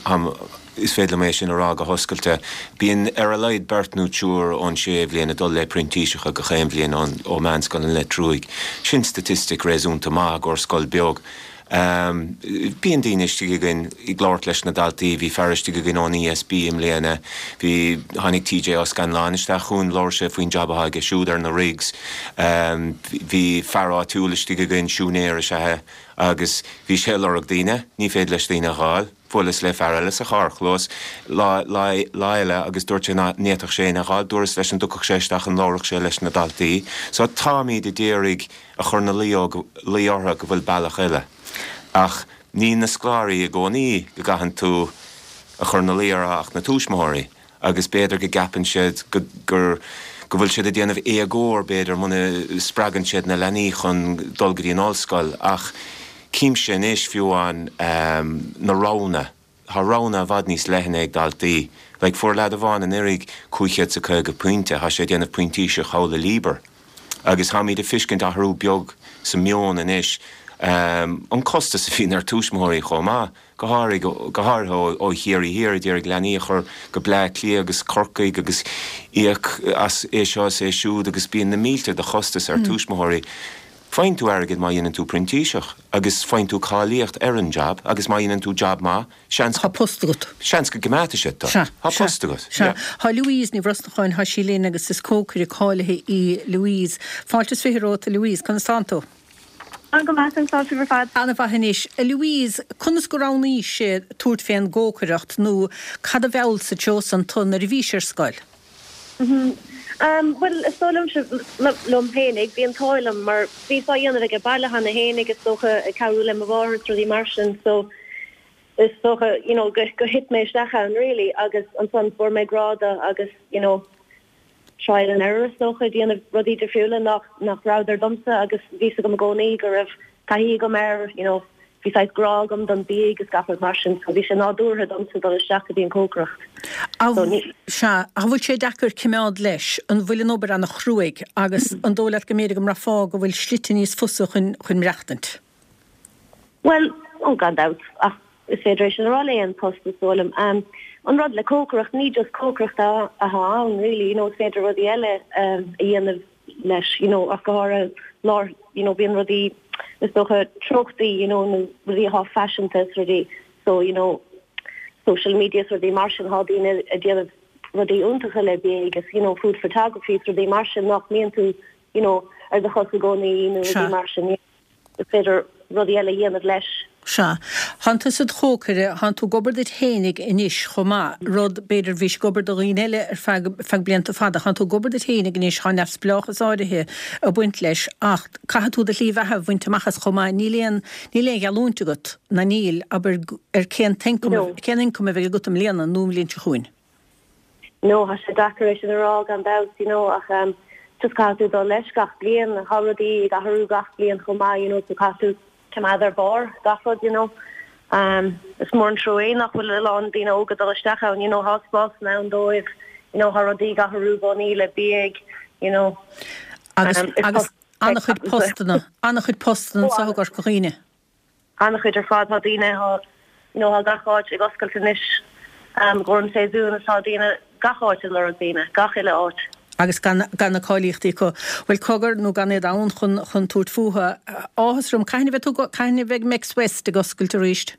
is féidir liom é sin a rá go hoscailte. Bíonn ar a laghad beirt nó triúr ón séú bhliain ag dul le printíseacha gach aon bhliain ó Mheánscoil an Leitriúigh. Sin staitistic réasúnta maith i gcomhair scoil beag. Bíonn daoine istigh againn ag labhairt leis na daltaí, bhí fear istigh againn ón ESB i mbliana, bhí, tháinig TJ Ó Scanláin isteach chugainn, labhair sé faoin jab atá aige siúd ar na rigs, bhí fear áitiúil istigh againn, siúinéir is ea é, agus bhí sé ag lorg daoine, ní féidir leis daoine a dh'fháil. Bhuaileas le fear eile sa charrchlós lá, lá, lá eile agus dúirt sé ná n'fhéadfadh sé éinne a dh'fháil, dúras leis an dtiocfadh sé isteach an labharfadh sé leis na daltaí. So táimíd a d'iarraidh a chur 'na luí luí orthu go bhfuil bealach eile. Ach ní na scoláirí i gcónaí go gcaitheann tú a chur 'na luí orthu ach na tuismitheoirí agus b'fhéidir go gceapann siad go gur go bhfuil siad ag déanamh éagóir b'fhéidir muna spreagann siad na leanaí chun dul go dtí an ollscoil ach címse anois fiú amháin na roghanna. Tá roghanna i bhfad níos leithne ag daltaí. Like, fuair leaid amháin anuraidh 550 pointe, tá sé ag déanamh printíseach thall i Liber. Agus táimid ag fiscint athrú beag sa meon anois. An costas a bhíonn ar tuismitheoirí chomh maith, go háirithe go háirithe ó Chiarraí Thiar, a d'iarraidh leanaí a chur go Bleá Cliath agus Corcaigh agus íoc as é seo is é siúd agus bíonn na mílte de chostas ar tuismitheoirí. Faigheann tú airgead má dhéanann tú printíseach agus faigheann tú cáilíocht ar an jab agus má dhéanann tú jab maith, seans. Tá post agat. Seans go gcoimeádfaidh siad tú. Sea. Tá post agat. Sea. Tá Louise Ní Bhrosnacháin, tá sí linn agus is cócaire cáilithe í Louise. Fáilte is 20 romhat a Louise, conas tánn tú? Tá go maith, conas tá sibh ar fad? Ana-mhaith anois. A Louise, conas go roghnaís tabhairt fén gcócaireacht nó cad a mheall sa treo san tu nuair a bhís ar scoil? Bhuel, is dóigh liomsa, liom fhéinig, bhí an t-ádh liom mar bhíos á dhéanamh aige baile cheana fhéinig, is dócha, ag cabhrú le mo mháthair is rudaí mar sin, so is dócha, you know, go, go thit mé isteach ann really agus ansan fuair mé grá do agus, you know, trial and error is dócha, déanamh rudaí difriúla nach, nach rabhadar domsa agus bhí 's agam i gcónaí go raibh taithí agam air, you know, bhí saghas grá agam don bia agus gach rud mar sin so bhí sé nádúrtha domsa dul isteach go dtí an cócaireacht. So ní. Sea, ach an bhfuil sé deacair cimeád leis? An bhfuil an obair ana chruaidh agus an dóigh leat go mb'fhéidir go mbraithfeá go bhfuil slite níos fusa chun chun maireachtaint? Bhuel, ó gan dabht, ach is féidir é sin a rá le aon post is dóigh liom. An rud le cócaireacht, ní just cócaireacht atá ann really, you know, is féidir rudaí eile a dhéanamh leis, you know, ach go háirithe lár, you know, bíonn rudaí, is dócha, treochtaí, you know, nó rudaí atá faiseanta is rudaí, so, you know, social media is rudaí mar sin, tá daoine ag déanamh rudaí iontacha le bia agus, you know, food photography is rudaí mar sin nach mbíonn tú, you know, ar do chos i gcónaí nó rudaí mar sin. Is féidir rudaí eile a dhéanamh leis. Sea. Thánn tusa id chócaire, thánn tú ag obair duit fhéinig anois chomh maith, rud, b'fhéidir, bhís ag obair do dhaoine eile ar feadh, feadh blianta fada. Thánn tú ag obair duit fhéinig anois, thá neamhspleáchas áirithe ag baint leis ach caithfidh tú do shlí bheatha a bhaint amach as chomh maith. Níl aon, níl aon gheallúint agat, ná níl, abair, ar cén t-ioncam, cén ioncam a bheidh agat i mbliana nó an bhliain seo chugainn. No, tá sé deacair é sin a rá gan dabht, you know, ach ehm just caithfidh tú dul leis gach bliain, tá rudaí ag athrú gach bliain chomh maith, you know, so caithfidh tú coimeád ar barr gach rud, you know. Ehm is mór an trua é nach bhfuil a lán daoine óga dul isteach ann, you know, tá spásanna ann dóibh, you know, tá rudaí ag athrú i gcónaí le bia, you know. Agus, agus an-chuid postanna, an-chuid postanna anseo i gCorca Dhuibhne. An-chuid ar fad. Tá daoine, tá, you know, tá gach áit ag oscailt anois i gcomhair an séasúin is tá daoine gach áit ag lorg daoine, gach uile áit. Agus gan, gan na cáilíochtaí acu. Bhuel, cogar, nó gan iad ann chun, chun tabhairt fúthu. Áthas orm. Cathain a bheidh tú, cathain a bheidh Mex West ag oscailt arís?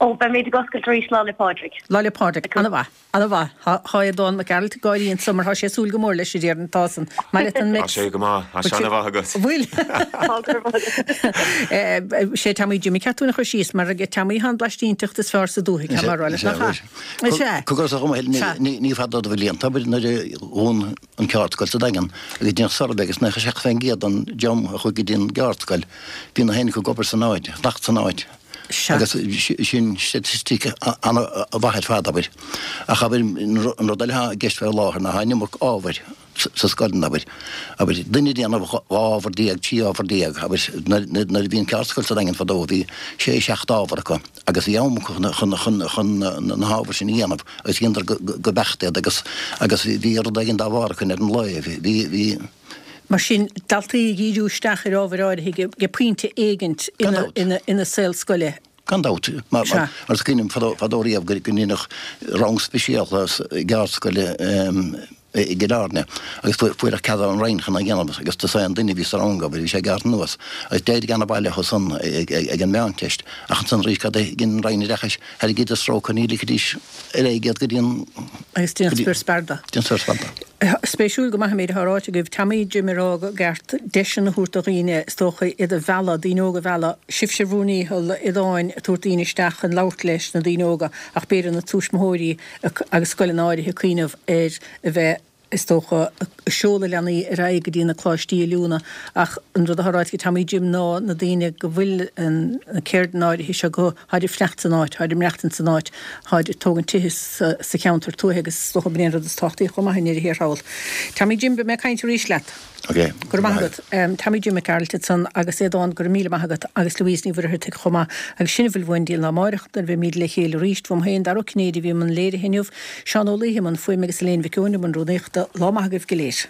Ó, beimid ag oscailt arís Lá 'le Pádraig. Lá 'le Pádraig. Ana-mhaith. Ana-mhaith. Tá Aodán Mac Gearailt ag gáirí anso mar tá sé ag súil go mór leis, a déarfainn. Tá san. Maith leat an Tá sé go maith. Tá sé ana-mhaith agat. Bhfuil? Tá go raibh maith agat. Sé Teamaí Jimmy ceart dúinn a chur síos mar ag Teamaí tá an blaistínteacht is fearr sa dúthaigh, tá mé a rá leat nach ea? Is ea. Cogar sa chuma ní fada do bhlianta nuair a dhún an ceardscoil sa Daingean agus deineadh suirbhé agus 97% den dream a chuaigh go dtí an gceardscoil bhí na héinne acu ag obair san áit, fanacht san áit. Sea. Agus sin staitistic an-mhaith ar fad, abair. Ach abair, an rud eile atá i gceist faoi láthair ná tá an iomarca ábhair sa scoileanna, abair. Abair, duine ag déanamh 12 ábhar, 13 ábhar, abair, nuair a bhí an ceardscoil sa Daingean fadó bhí sé, seacht ábhar acu agus bhí am acu chun chun na hábhair sin a dhéanamh agus dheineadar go beacht iad agus agus bhí rud éigin dá bharr acu ar an lá. Bhí, bhí. Mar sin, daltaí ag díriú isteach ar ábhair áirithe ag pointe éigint ina saol scoile. Gan dabht. Mar is cuimhin liom fadó riamh go ndeineadh rang speisialta i gceardscoil i gCill Airne agus fuaireadh cead ón Roinn chun é a dhéanamh agus tusa an duine a bhí sa rang, abair, bhí sé gearrtha anuas agus d'éirigh an-mhaith leo san ag an Meánteist ach ansan arís cad a dhein an Roinn Oideachais, tharraing stróca ní ligfidís ar aghaidh iad go dtí an. Agus déanadh spior spear de. Déanadh spior spear de. Spéisiúil go maith an méid atá ráite agaibh. Teamaí Jim ag rá go gceart deiseanna a thabhairt do dhaoine, is dócha, iad a mhealladh, daoine óga a mhealladh. Sibhse bhur ndícheall, Aodáin, ag tabhairt daoine isteach chun labhairt leis na daoine óga ach b'fhéidir na tuismitheoirí agus scoileanna áirithe ag cuimhneamh ar a bheith, is dócha, ag seoladh leanaí ar aghaidh go dtí na coláistí oiliúna ach an rud atá ráite ag Teamaí Jim ná na daoine go bhfuil na ceirdeanna áirithe seo acu, táid ag fanacht san áit, táid ag maireachtaint san áit, táid ag tógaint tithe sa cheantar tuaithe agus is dócha b'in é an rud is tábhachtaí chomh maith i ndeireadh thiar thall. Teamaí Jim, beidh mé ag caint arís leat. Ok. Go raibh maith agat. Tommy Jim Mac Gearailt ansan agus Aodán, go raibh míle maith agat agus Louise Ní Mhuircheartaigh chomh maith. Agus sin a bhfuil uainn go dtí an lá amáireach nuair a bheimíd le chéile arís. Uaim féin, Dara Ó Cinnéide a bhí i mbun léirithe inniu, Seán Ó Laoithe i mbun fuaime agus Elaine Mhic Eoin i mbun rúnaíochta. Lá maith agaibh go léir.